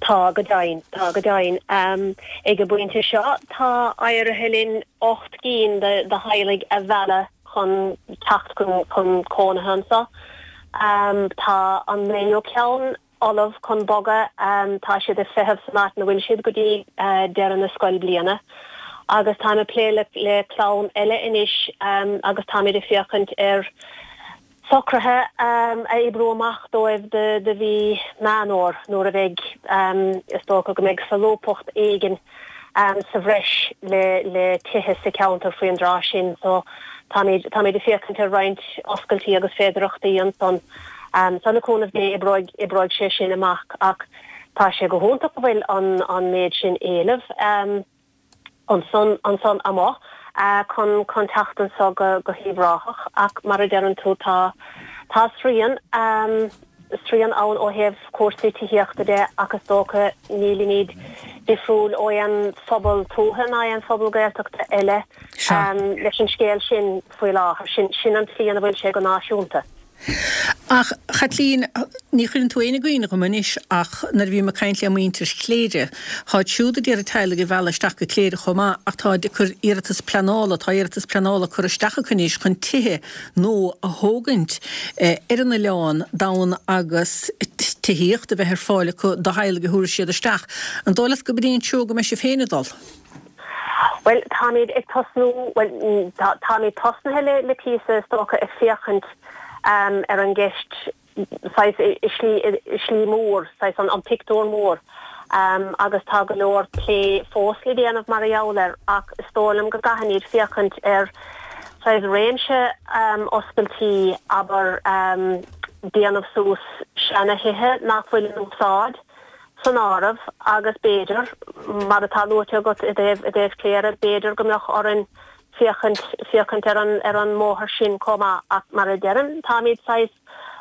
S5: Tá go deimhin, tá go deimhin. Ag an bpointe seo tá éirithe linn 8 gcinn de theaghlaigh a mhealladh chun teacht chun cónaithe anseo. Tá an naoú ceann ullamh chun bogadh, tá siad ag feitheamh san áit ina bhfuil siad go dtí deireadh na scoilbhliana. Agus táim ag plé le clann eile anois agus táimid ag féachaint ar Socruithe a oibriú amach dóibh do mhí Meán Fhómhair nuair a bheidh, is dócha go mbeidh solúbthacht éigin sa bhreis le tithe sa cheantar faoin dtráth sin. So táimid, táimid ag féachaint ar roinnt oscailtí agus féidearthachtaí ansan. So le cúnamh Dé oibreoidh, oibreoidh sé sin amach ach tá sé go hiontach go bhfuil an, an méid sin éilimh. ansan ansan amuigh chun chun teacht anso go go hUíbh Ráthach ach mar a deireann tú tá tá srian srian ann ó thaobh cúrsaí tithíochta de ach is dócha nílimid difriúil ó aon phobal tuaithe ná aon phobal Gaeltachta eile leis an scéal sin faoi láthair. Sin sin an tslí ina bhfuil sé go náisiúnta.
S1: Ach, a Chaitlín, ní chuireann tú éinne i gcuimhne dhom anois ach nuair a bhím ag caint le muintir Chléire, táid siúd ag iarraidh teaghlaigh a mhealladh isteach go Cléire chomh maith ach táid ag cur iarratas pleanála, tá iarratas pleanála curtha isteach acu anois chun tithe nua a thógaint ar an oileán d'fhonn agus tithíocht a bheith ar fáil acu do theaghlaigh a thabharfaidh siad isteach. An dóigh leat go b'in é an treo go mbeidh sibh féin ag dul?
S5: Bhuel, táimid ag tosnú, bhuel, táimid tosnaithe le, le píosa, is dócha, ag féachaint ar an gceist saghas i slí, i slí mór, saghas an, an pictiúr mór agus tá go leor plé fós le déanamh mar gheall air ach is dóigh liom go gcaithfimid féachaint ar saghas réimse oscailtí, abair, déanamh suas seana-thithe nach bhfuil in úsáid. san áireamh agus b'fhéidir, mar atá luaite agat i dtaobh, i dtaobh Cléire, b'fhéidir go mbeadh orainn féachaint, féachaint ar an, ar an mbóthar sin chomh maith ach mar a deirim, táimid saghas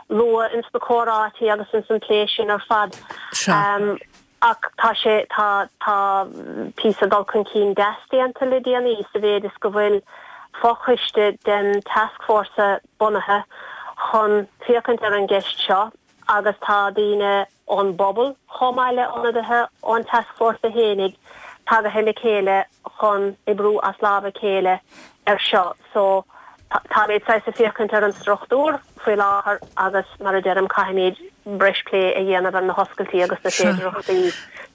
S5: luath ins na comhráití agus ins an plé sin ar fad.
S1: Sea.
S5: Ach tá sé, tá, tá píosa dul chun cinn deas déanta le déanaí sa mhéid is go bhfuil fochoiste den tascfhórsa bunaithe chun féachaint ar an gceist seo agus tá daoine ón bpobal chomh maith le ionadaithe ón tascfhórsa fhéinig tagaithe le chéile chun oibriú as lámh a chéile ar seo. So táimid saghas ag féachaint ar an struchtúr faoi láthair agus mar a deirim caithfimid breis plé a dhéanamh ar na hoscailtí agus na féidearthachtaí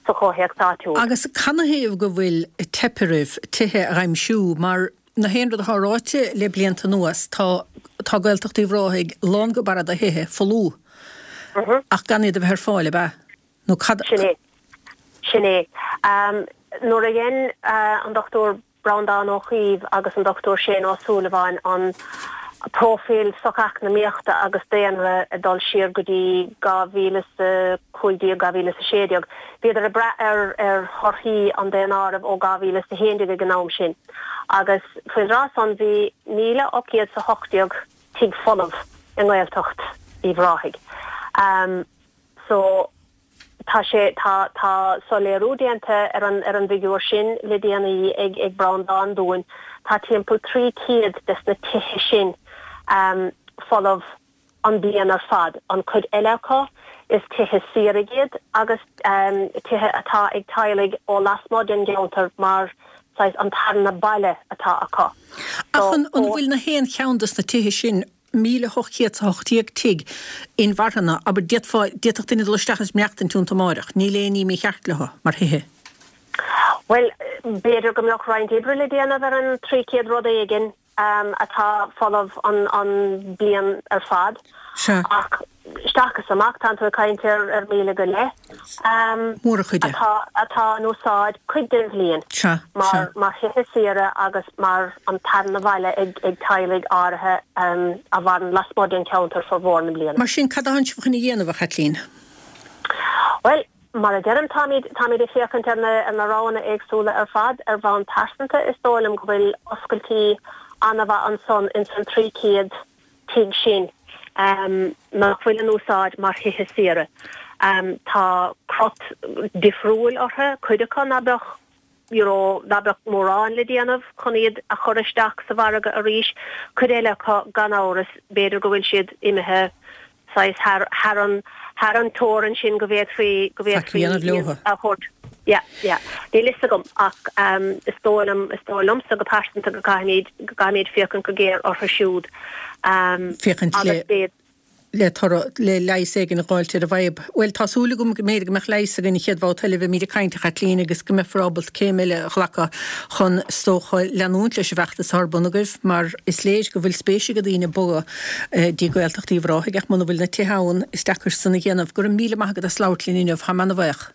S5: sa chomhthéacs áitiúil.
S1: Agus canathaobh go bhfuil teip oraibh tithe a aimsiú mar Na haon rud atá ráite le blianta anuas, tá tá Gaeltacht Uíbh Ráthaigh lán go barra de thithe folamh ach gan iad a bheith ar fáil, ab ea? Nó cad.
S5: Sin é. Sin é. Nuair a dhein an Dr Breandán Ó Caoimh agus an Dr Shane Ó Súilleabháin an próifíl socheacnamaíochta agus daonra ag dul siar go dtí 2015, 2016, bhíodar ag brath ar ar thorthaí an daonáirimh ó 2011 ag an am sin. Agus faoin dtráth san bhí 1,818 tigh folamh i nGaeltacht Uíbh Ráthaigh. So tá sé, tá, tá soiléiriú déanta ar an, ar an bhfigiúr sin le déanaí ag, ag Breandán dúinn. Tá timpeall 300 des na tithe sin folamh an bliain ar fad. An chuid eile acu, is tithe saoire iad agus tithe atá ag teaghlaigh ó lasmuigh den gceantar mar saghas an tarna baile atá acu.
S1: Ach an bhfuil na haon cheann des na tithe sin, 1,818 tigh, inmharthana, abair, d'fhéadfá, d'fhéadfadh duine dul isteach is maireachtaint iontu amáireach, níl aon ní mícheart leo, mar thithe?
S5: Bhuel, b'fhéidir go mbeadh roinnt oibre le déanamh ar an 300 rud éigin. atá folamh an bliain ar fad.
S1: Sea.
S5: Ach Isteach is amach, tánn tú ag caint ar 1,000 go leith
S1: Mórchuid de.
S5: atá atá in úsáid cuid den bhliain
S1: Sea,
S5: mar
S1: sea.
S5: mar thithe saoire agus mar an tarna bhaile ag ag teaghlaigh áirithe a mhaireann lasmuigh den cheantar formhór na bliana.
S1: Mar sin, cad atánn sibh chun a dhéanamh, a Chaitlín?
S5: Bhuel, mar a deirim, táimid táimid ag féachaint ar na ar na roghanna éagsúla ar fad. Ar bhonn pearsanta, is dóigh liom go bhfuil oscailtí an-mhaith ansan ins an 300 tigh sin nach bhfuil in úsáid mar thithe saoire. Tá crot difriúil orthu, cuid acu ná beadh you know ná beadh mórán le déanamh chun iad a chur isteach sa mhargadh arís, cuid eile acu gan amhras b'fhéidir go bhfuil siad imithe saghas thar thar an thar an teorainn sin go bhféadfaí go
S1: Faic a
S5: bhféadfaí
S1: dhéanamh
S5: iad
S1: leothu.
S5: a thabhairt. Yeah, yeah. Níl fhios agam ach is dóigh liom is dóigh liomsa go pearsanta go gcaithfimid go gcaithfimid féachaint go géar orthu siúd
S1: Féachaint le
S5: agus b'fhéidir
S1: le toradh, le leigheas éigin a dh'fháilt ar an bhfadhb. Bhuel, tá súil agam go mb'fhéidir go mbeadh leigheas againn an chéad bhabhta eile a bheimid ag caint, a Chaitlín, agus go mbeifear ábalta céim eile a ghlacadh chun, is dócha, leanúint leis an bhfeachtas atá ar bun agaibh, mar is léir go bhfuil spéis ag daoine bogadh dtí Gaeltacht Uíbh Ráthaigh, ach muna bhfuil na tithe ann, is deacair san a dhéanamh. Go raibh míle maith agat as labhairt linn inniu, táim ana-bhaoch.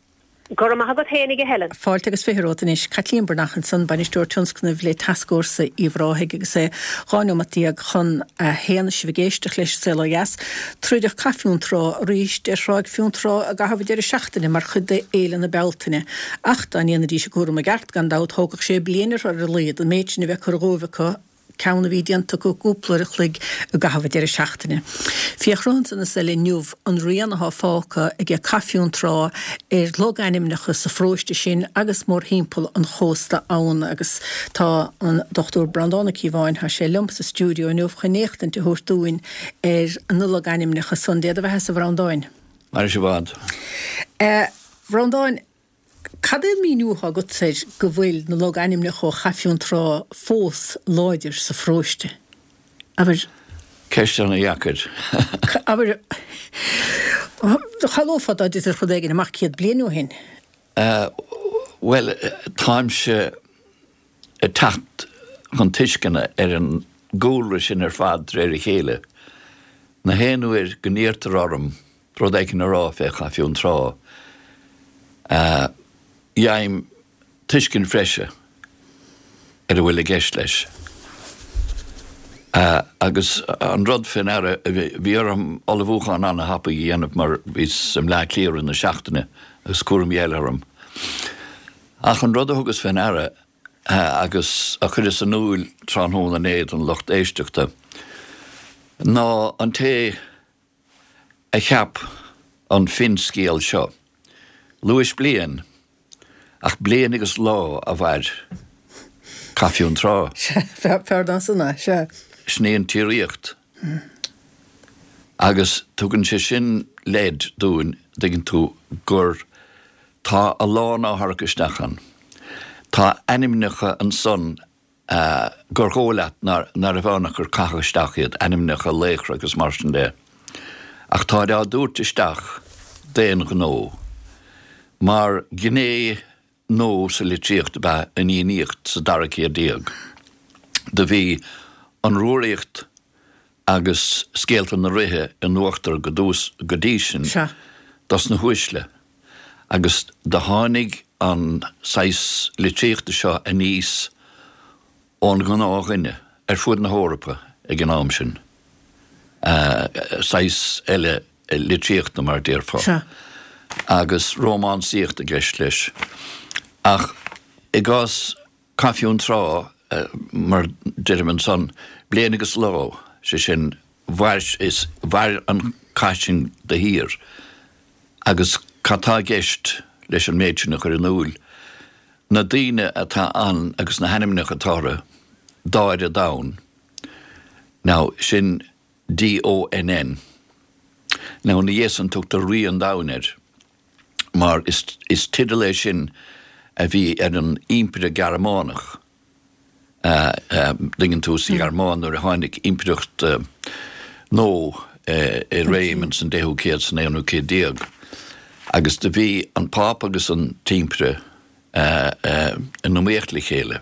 S5: Go raibh maith agat féinig a Helen.
S1: Fáilte agus 20 romhat anois. Caitlín Breathnach ansan, Bainisteoir Tionscnaimh le Tascfhórsa Uíbh Ráthaigh agus é 12 neomat chun a haon is sibh ag éisteacht leis An Saol Ó Dheas. Troideadh Cath Fionntrá arís ar Thráigh Fionntrá i gcaitheamh an deireadh seachtaine mar chuid de Fhéile na Bealtaine. Ach dá ndéanfaidís a gcúram i gceart, gan dabht, thógfadh sé bliain orthu ar a laghad an méid sin a bheith curtha dhóibh acu. ceann a bhí déanta acu cúpla uair a chloig i gcaitheamh an deireadh seachtaine. Féach romhat ansan is eile inniu an rian athá fágtha aige Cath Fionntrá ar logainmneacha sa pharóiste sin agus mórthimpeall an chósta ann agus tá an Dr Breandán Ó Cíobháin, tá sé liom sa stiúideo inniu chun éachtaint a thabhairt dúinn ar na logainmneacha san. Dé do bheathasa a Bhreandáin.
S6: Maire sibh i bhfad.
S1: A Bhreandáin, Cad é an míniú atá agatsa air go bhfuil na logainmneacha ó Chath Fionntrá fós láidir sa pharóiste? Abair.
S6: Ceist ana-dheacair.
S1: Abair, shamhlófá dá dtitfeadh rud éigin amach 100 bliain ó shin.
S6: Bhuel, táimse ag teacht chun tuisceana ar an gcúlra sin ar fad de réir a chéile. Na haon uair go n-iarrtar orm rud éicint a rá fé Chath Fionntrá, fhaighim tuiscint bhreise ar a bhfuil i gceist leis. Agus an rud fé ndeara, bhí orm ullmhúchán ana-thapaidh a dhéanamh mar bhíos i mBleá Cliath i rith na seachtaine agus cúraimí eile orm. Ach an rud a thugas fé ndeara agus a chuireas in iúil tráthnóna inné don lucht éisteachta ná an té a cheap an finscéal seo. Luais bliain, ach bliain agus lá a mhair Cath Fionntrá.
S1: Sea, fearr ná san é, sea.
S6: Sin í an tsíoraíocht. Agus tugann sé sin leid dúinn, dtuigeann tú, gur tá a lán á tharrac isteach ann. Tá ainmneacha ansan gur dhóigh leat nárbh ann ach gur caitheadh isteach iad, ainmneacha laochra agus mar sin de. Ach táid á dtabhairt isteach d'aon ghnó. Mar ghné nua sa litríocht ab ea an Fhiannaíocht sa dara céad déag. Do bhí an Rúraíocht agus scéalta na ríthe in uachtar go dtí sin dos na huaisle agus do tháinig an saghas litríochta seo aníos ón ngnáthdhuine ar fuaid na hEorpa ag an am sin, saghas eile litríochta mar a déarfá, agus rómánsaíocht i gceist leis. Ach i gcás Cath Fionntrá, mar deirim ansan, bliain agus lá, sé sin, mhair, is mhair an cath sin de shíor. Agus cad tá i gceist leis an méid sin a chur in iúil? Na daoine atá ann agus na hainmneacha atá orthu, Dáire Donn, now sin D-O-N-N. Now ina dhiaidh san tugtar Rí an Domhain air. mar is teideal é sin a bhí ar an Impire Gearmánach, dtuigeann tú, sa Ghearmáin nuair a tháinig impireacht nua i réim ins an deichiú céad, san aonú céad déag, agus do bhí an Pápa agus an tImpire in iomaíocht le chéile.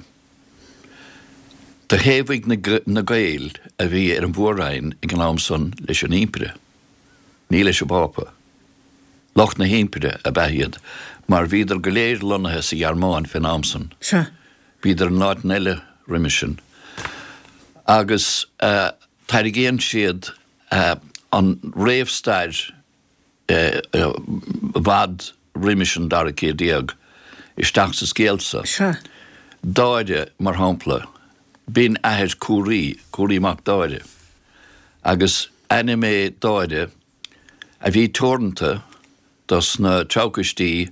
S6: Do thaobhaigh na Gaeil a bhí ar an Mhór-Roinn ag an am san leis an Impire. Ní leis an bPápa. Lucht na hImpire ab ea iad, mar bhíodar go léir lonnaithe sa Ghearmáin fén am san.
S1: Sea.
S6: Bhíodar in áiteanna eile roimis sin. Agus tairgíonn siad an réamhstair i bhfad roimis an dara céad déag isteach sa scéal so.
S1: Sea.
S6: Dáire, mar shampla, b'in athair Cúraí, Cúraí mac Dáire. Agus ainm é Dáire a bhí teoranta dos na treabhchoistí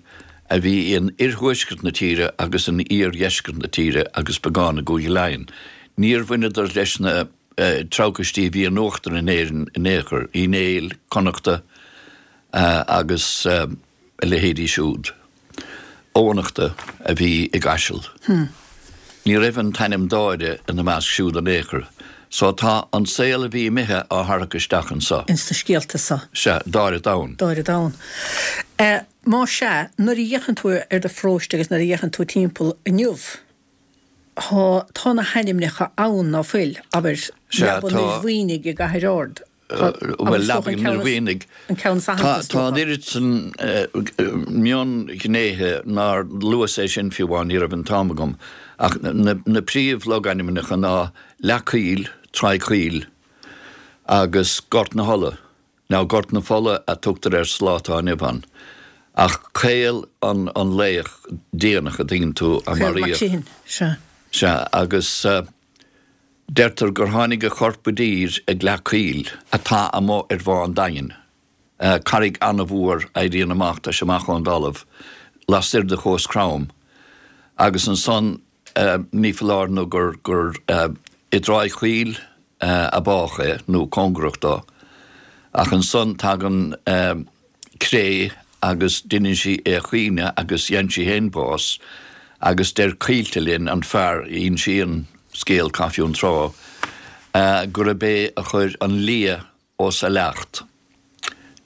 S6: a bhí in oirthuaisceart na tíre agus in iardheisceart na tíre agus beagán i gCúige Laighean. Níor bhaineadar leis na treabhchoistí a bhí in uachtar in Éirinn in aon chor, Uí Néill, Connachta agus a leithéidí siúd. Eoghanachta a bhí i gCaiseal. Ní raibh an t-ainm Dáire ina measc siúd in aon chor. So tá an saol a bhí imithe á tharrac isteach anso.
S1: Ins na scéalta so.
S6: Sea, Dáire Donn.
S1: Dáire Donn. Má sea, nuair a fhéachann tú ar do pharóiste agus nuair a fhéachann tú timpeall inniu, Tá, tá na hainmneacha ann, ná fuil? Abair,
S6: Sea,
S1: Leaba
S6: tá.
S1: an Fhir Mhaoinigh i gCathair Ard. Tá,
S6: Bhuel, Leaba an Fhir Mhaoinigh.
S1: An ceann is aitheanta, is
S6: Tá
S1: dócha.
S6: an oiread san mionghnéithe nár luas é sin fiú amháin, ní raibh an t-am agam. Ach na príomh-logainmneacha ná Leac Caoil, Traigh Chaoil agus Gort na hOlla. Now Gort na Fola a tugtar air sa lá atá inniu ann. Ach Caol an an laoch déanach a dtuigeann tú a
S1: Caol Mac
S6: maraíodh.
S1: Séaghain, sea.
S6: Sea, agus deirtear gur tháinig a chorp i dtír ag Leac Caoil, atá amuigh ar Bhá an Daingin. Carraig an-mhór a éiríonn amach, tá sé amach ón dtalamh, lastoir de Chuas Crom. Agus ansan ní foláir nó gur gur i dTráigh Chaoil a bádh é, nó cóngarach dó. Ach ansan tagann cré agus deineann sí é a chaoineadh agus gheibheann sí féin bás agus deir Caoilte linn, an fear a insíonn scéal Chath Fionntrá, gurb é a chuir an lia os a leacht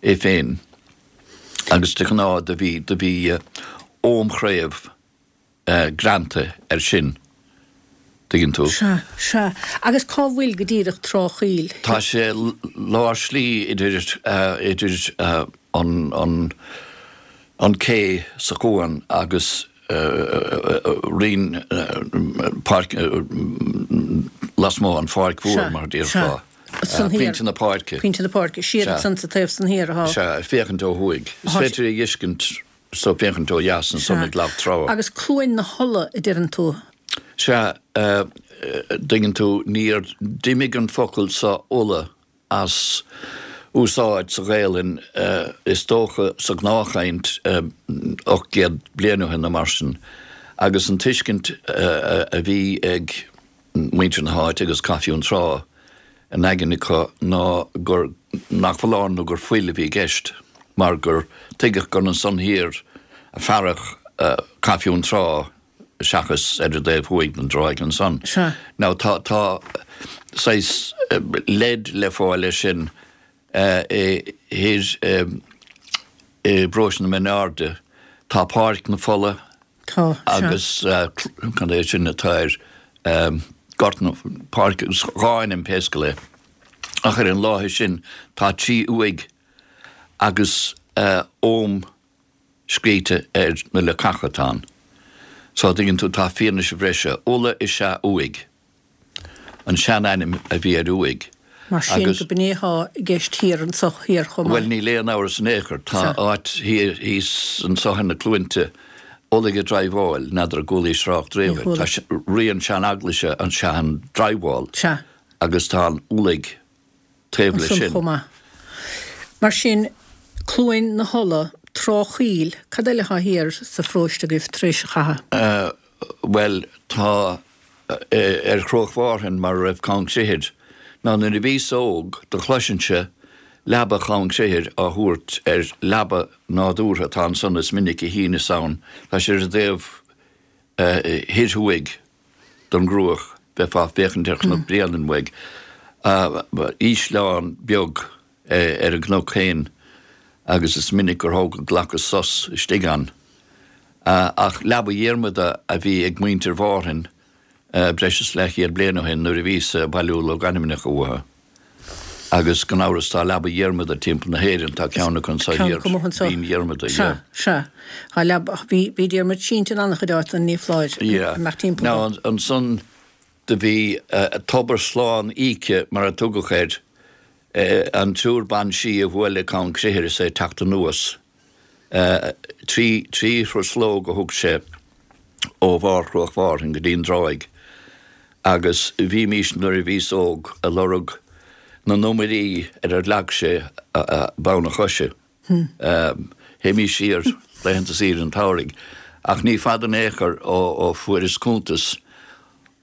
S6: é féin agus de ghnáth do bhí do bhí oghamchraobh greanta air sin, tuigeann tú.
S1: Sea, sea. Agus cá bhfuil go díreach Trá Chaoil?
S6: Tá sé lár slí idir, idir an, an, an cé sa chuan agus Rinn, páirc, lasmuigh an pháirc mhór mar a déarfá.
S1: Sea, sea.
S6: Pointe na páirce.
S1: Pointe na páirce. Siar ansan sa taobh san thiar atá.
S6: Sea, ag féachaint ó thuaidh. Is féidir é a fheiscint So féachaint ó dheas ansan ag Lag Trá.
S1: Agus Cluain na hOlla a deireann tú?
S6: Sea, dtuigeann tú, níor, d'imigh an focal so Uladh as úsáid sa Ghaelainn, is dócha sa ghnáthchaint, 800 bliain ó shin nó mar sin, agus an tuiscint a bhí ag muintir na háite agus Cath Fionntrá in aigne acu ná gur, nach foláir nó gur fuil a bhí i gceist mar gur tuigeadh gur ansan thiar a fearadh Cath Fionntrá seachas ar an dtaobh thuaidh den dtráigh ansan.
S1: Sea.
S6: Now tá, tá saghas leid le fáil air sin i thoir i bparóiste na Mine Airde. Tá Páirc na Fola
S1: Tá, sea.
S6: agus cad é sin atá air, Gort na, Páirc, dhá ainm pé scéal é. Ach ar an láthair sin tá trí uaigh agus ogham scríte ar na leacacha atá ann. So, tuigeann tú, tá fianaise bhreise. Ulaidh is ea uaigh. An sean-ainm a bhí ar uaigh.
S1: Mar sin,
S6: Agus.
S1: go b'in é atá i gceist thiar anso thiar chomh maith.
S6: Bhuel, níl aon amhras in aon chor. Tá
S1: Sea.
S6: áit thiar thíos anso ar na cluainte, Ulaidh a' Driobháil, n'fheadar an gcualaís trácht
S1: Níor
S6: riamh air.
S1: chuala.
S6: Tá sé, rian sean-eaglaise an sean-Driobhál
S1: Sea.
S6: agus tá an Ulaidh taobh leis
S1: Ansan
S6: sin.
S1: chomh maith. Mar sin, Cluain na hUladh, Trá Chaoil, cad eile atá thiar sa pharóiste agaibh tar éis an chatha?
S6: Bhuel, tá ar Chruach Mhárthain mar a raibh Conn Crithir. Now nuair a bhíos óg do chloisinnse Leaba Chonn Crithir á thabhairt ar leaba nádúrtha atá ansan is minic a shíneas ann. Tá sé ar an dtaobh thoir thuaidh don gCruach, bheifeá ag féachaint ar Chnoc Bréanainn uaidh. Ísleán beag ar an gcnoc féin agus is minic gur thóg glacas sos istigh ann. Ach Leaba Dhiarmada a bhí ag muintir Mhárthain breis is leathchéad bliain ó shin nuair a bhíos ag bailiú logainmneacha uathu. Agus gan amhras tá Leaba Dhiarmada timpeall na hÉireann, tá ceann acu anso
S1: thiar,
S6: Binn Dhiarmada,
S1: yeah. Sea, sea. Tá leaba, bhí, bhí Diarmaid sínte in an-chuid áiteanna, ní foláir,
S6: Yeah.
S1: imeacht timpeall
S6: Now ansan do bhí Tobar Slán Íce mar a tugadh air, an triúr ban sí a bhuail le Conn Cruitire is é ag teacht anuas. 3 thruslóg a thug sé ó bharr Chruach Mhárthain go dtí an dtráigh agus bhímís nuair a bhíos óg a lorg na n-iomairí ar ar leag sé bonn a choise. Théimís siar laethanta saoire an tsamhraidh ach ní fada in aon chor ó fuaireas cuntas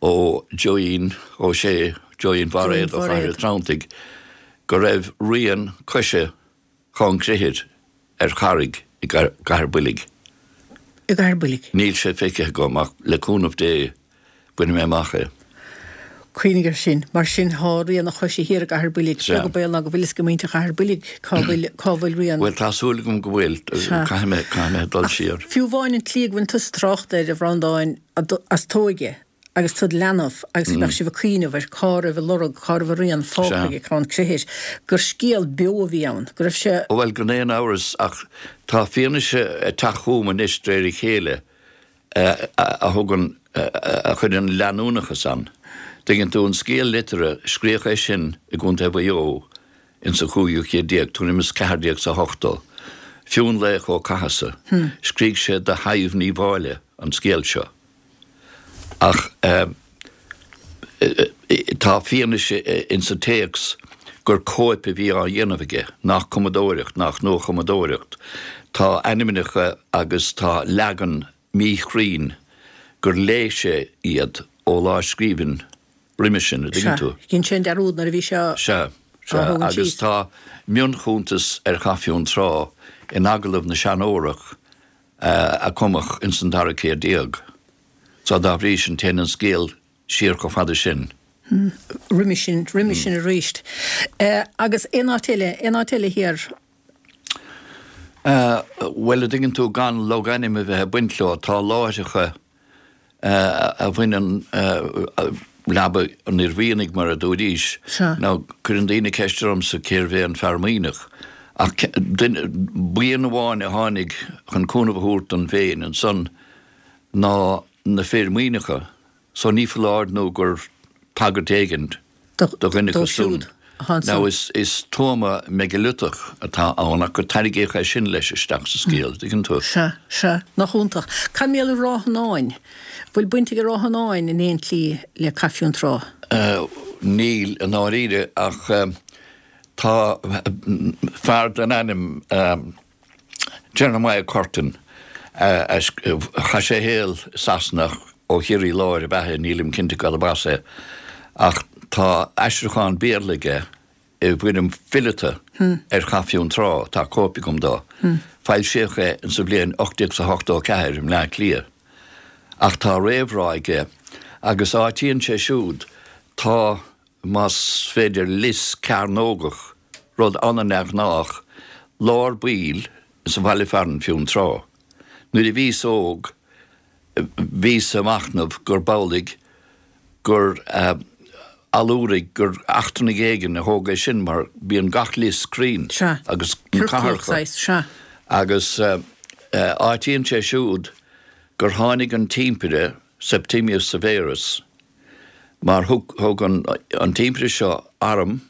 S6: ó Joeín Ó Sé, Joeín Bhairéad ó Chathair an Treanntaigh, go raibh rian coise Chonn Crithir ar charraig i gCathair Builg.
S1: I gCathair Builg.
S6: Níl sé feicthe agam ach le cúnamh Dé bainfidh mé amach é.
S1: Cuimhnigh air sin. Mar sin thá rian a choise thiar i gCathair Builg.
S6: Sea.
S1: Beag an baol ná go bhfuil fhios ag muintir Chathair Builg cá bhfuil, cá bhfuil rian.
S6: Bhuel tá súil agam go bhfuil.
S1: Sea.
S6: Caithfidh mé, caithfidh mé dul siar.
S1: Fiú amháin an tslí go bhfuil tusa ag trácht air, a Bhreandáin, as t'óige, agus tú id leanbh agus go mbeadh sibh ag cuimhneamh ar cá raibh a lorg, cá raibh a rian fágtha ag Conn Crithir, gur scéal beo a bhí ann, go raibh sé.
S6: Bhuel, gan aon amhras, ach tá fianaise ag teacht chugam anois de réir a chéile a thugann, a chuireann leanúnachas ann. Tuigeann tú, an scéal liteartha, scríodh é sin i gContae Mhaigh Eo ins an chúigiú céad déag, tuairim is 1480. Fionnlaoch Ó Cathasaigh, scrígh sé do Shadhbh Ní Mháille an scéal seo. Ach tá fianaise insa téacs gur cóip a bhí á dhéanamh aige, nach cumadóireacht, nach nuachumadóireacht. Tá ainmneacha agus tá leagan míchruinn gur léigh sé iad ó lámhscríbhinn roimhe sin, a dtuigeann tú.
S1: Sea, dhein sé an dearúd nuair a bhí sé á
S6: Sea, sea,
S1: thógaint
S6: agus
S1: síos.
S6: tá mionchuntas ar Chath Fionntrá in Agallamh na Seanórach a cumadh ins an dara céad déag. So dá bhrí sin téann an scéal siar chomh fada sin.
S1: Roimhe sin, roimhe sin arís. Agus aon áit eile, aon áit eile thiar?
S6: Bhuel, a dtuigeann tú, gan logainm a bheith ag baint leo, tá láithreacha a bhaineann leaba an fhir mhianaigh, mar a dúraís. Now, cuireann daoine ceist ormsa cérbh é an fear maoineach, ach duine, buíon amháin a tháinig chun cúnamh a thabhairt don bhFéinn ansan ná na fir maoineacha. So ní foláir nó gur tagairt éigin do dhuine acu
S1: siúd.
S6: Now is is tuama meigiliotach atá ann ach gur tarraingíodh é sin leis isteach sa scéal, dtuigeann tú?
S1: Sea, sea. Nach iontach. Cad mar gheall ar Ráth Fhionáin? Bhfuil baint ag Ráth Fhionáin in aon tslí le Cath Fionntrá?
S6: Níl, i ndáiríre, ach tá fear den ainm Jeremiah Curtin, chaith sé a shaol i Sasana ach ó Chiarraí Láir ab ea é, nílim cinnte cad ab as é, ach tá aistriúchán Béarla aige i bhfoirm fileata ar Chath Fionntrá, tá cóip agam dó. Foilsíodh é insa bhliain 1884 i mBleá Cliath. Ach tá réamhrá aige agus áitíonn sé siúd, tá, más féidir, lios cearnógach, rud an-neamhghnách, lár baill sa bhaile fearainn Fionn Trá. Nuair a bhíos óg bhíos ag machnamh gurb amhlaidh gur allúraigh, gur eachtrannaigh éigin a thóg é sin mar bíonn gach lios cruinn
S1: Sea.
S6: agus na
S1: Ciorclach
S6: cathracha.
S1: saghas, sea.
S6: Agus áitíonn sé siúd gur tháinig an t-impire Septimius Severus mar thug thug an an t-impire seo arm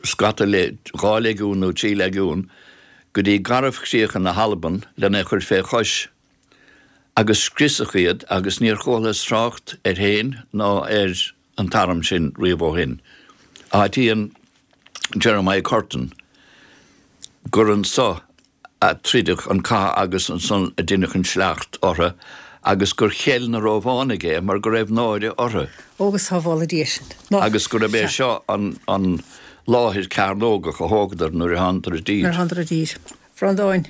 S6: scata le 2 leigiún nó 3 leigiún go dtí garbhchríocha na hAlban lena chur fé chois agus scriosadh iad agus níor chualathas trácht air féin ná ar an t-arm sin riamh ó shin. Áitíonn Jeremiah Curtin gur anso a troideadh an cath agus ansan a deineadh an sleacht orthu agus gur cheil na Rómhánaigh é mar go raibh náire orthu.
S1: Ó go sábhála Dia sinn. Nach
S6: Agus gurb é
S1: sea.
S6: seo an an láthair cearnógach a thógadar nuair a thánadar i dtír.
S1: Nuair a thánadar i dtír. Bhreandáin.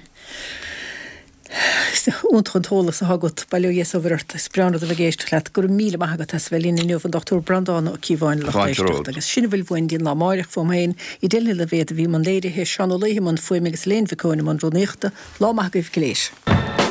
S1: Is iontach an t-eolas atá agat, bail ó Dhia is ó Mhuire ort. Is breá an rud a bheith ag éisteacht leat. Go raibh míle maith agat as a bheith linn inniu, an Dr Breandán Ó Cíobháin, lucht
S6: Fáilte
S1: éisteachta.
S6: romhat.
S1: Agus sin a bhfuil uainn go dtí an lá amáireach, uaim féin, Edel Ní Loibhéad a bhí i mbun léirithe, Seán Ó Laoithe i mbun fuaime agus Elaine Mhic Eoin i mbun rúnaíochta. Lá maith agaibh go léir.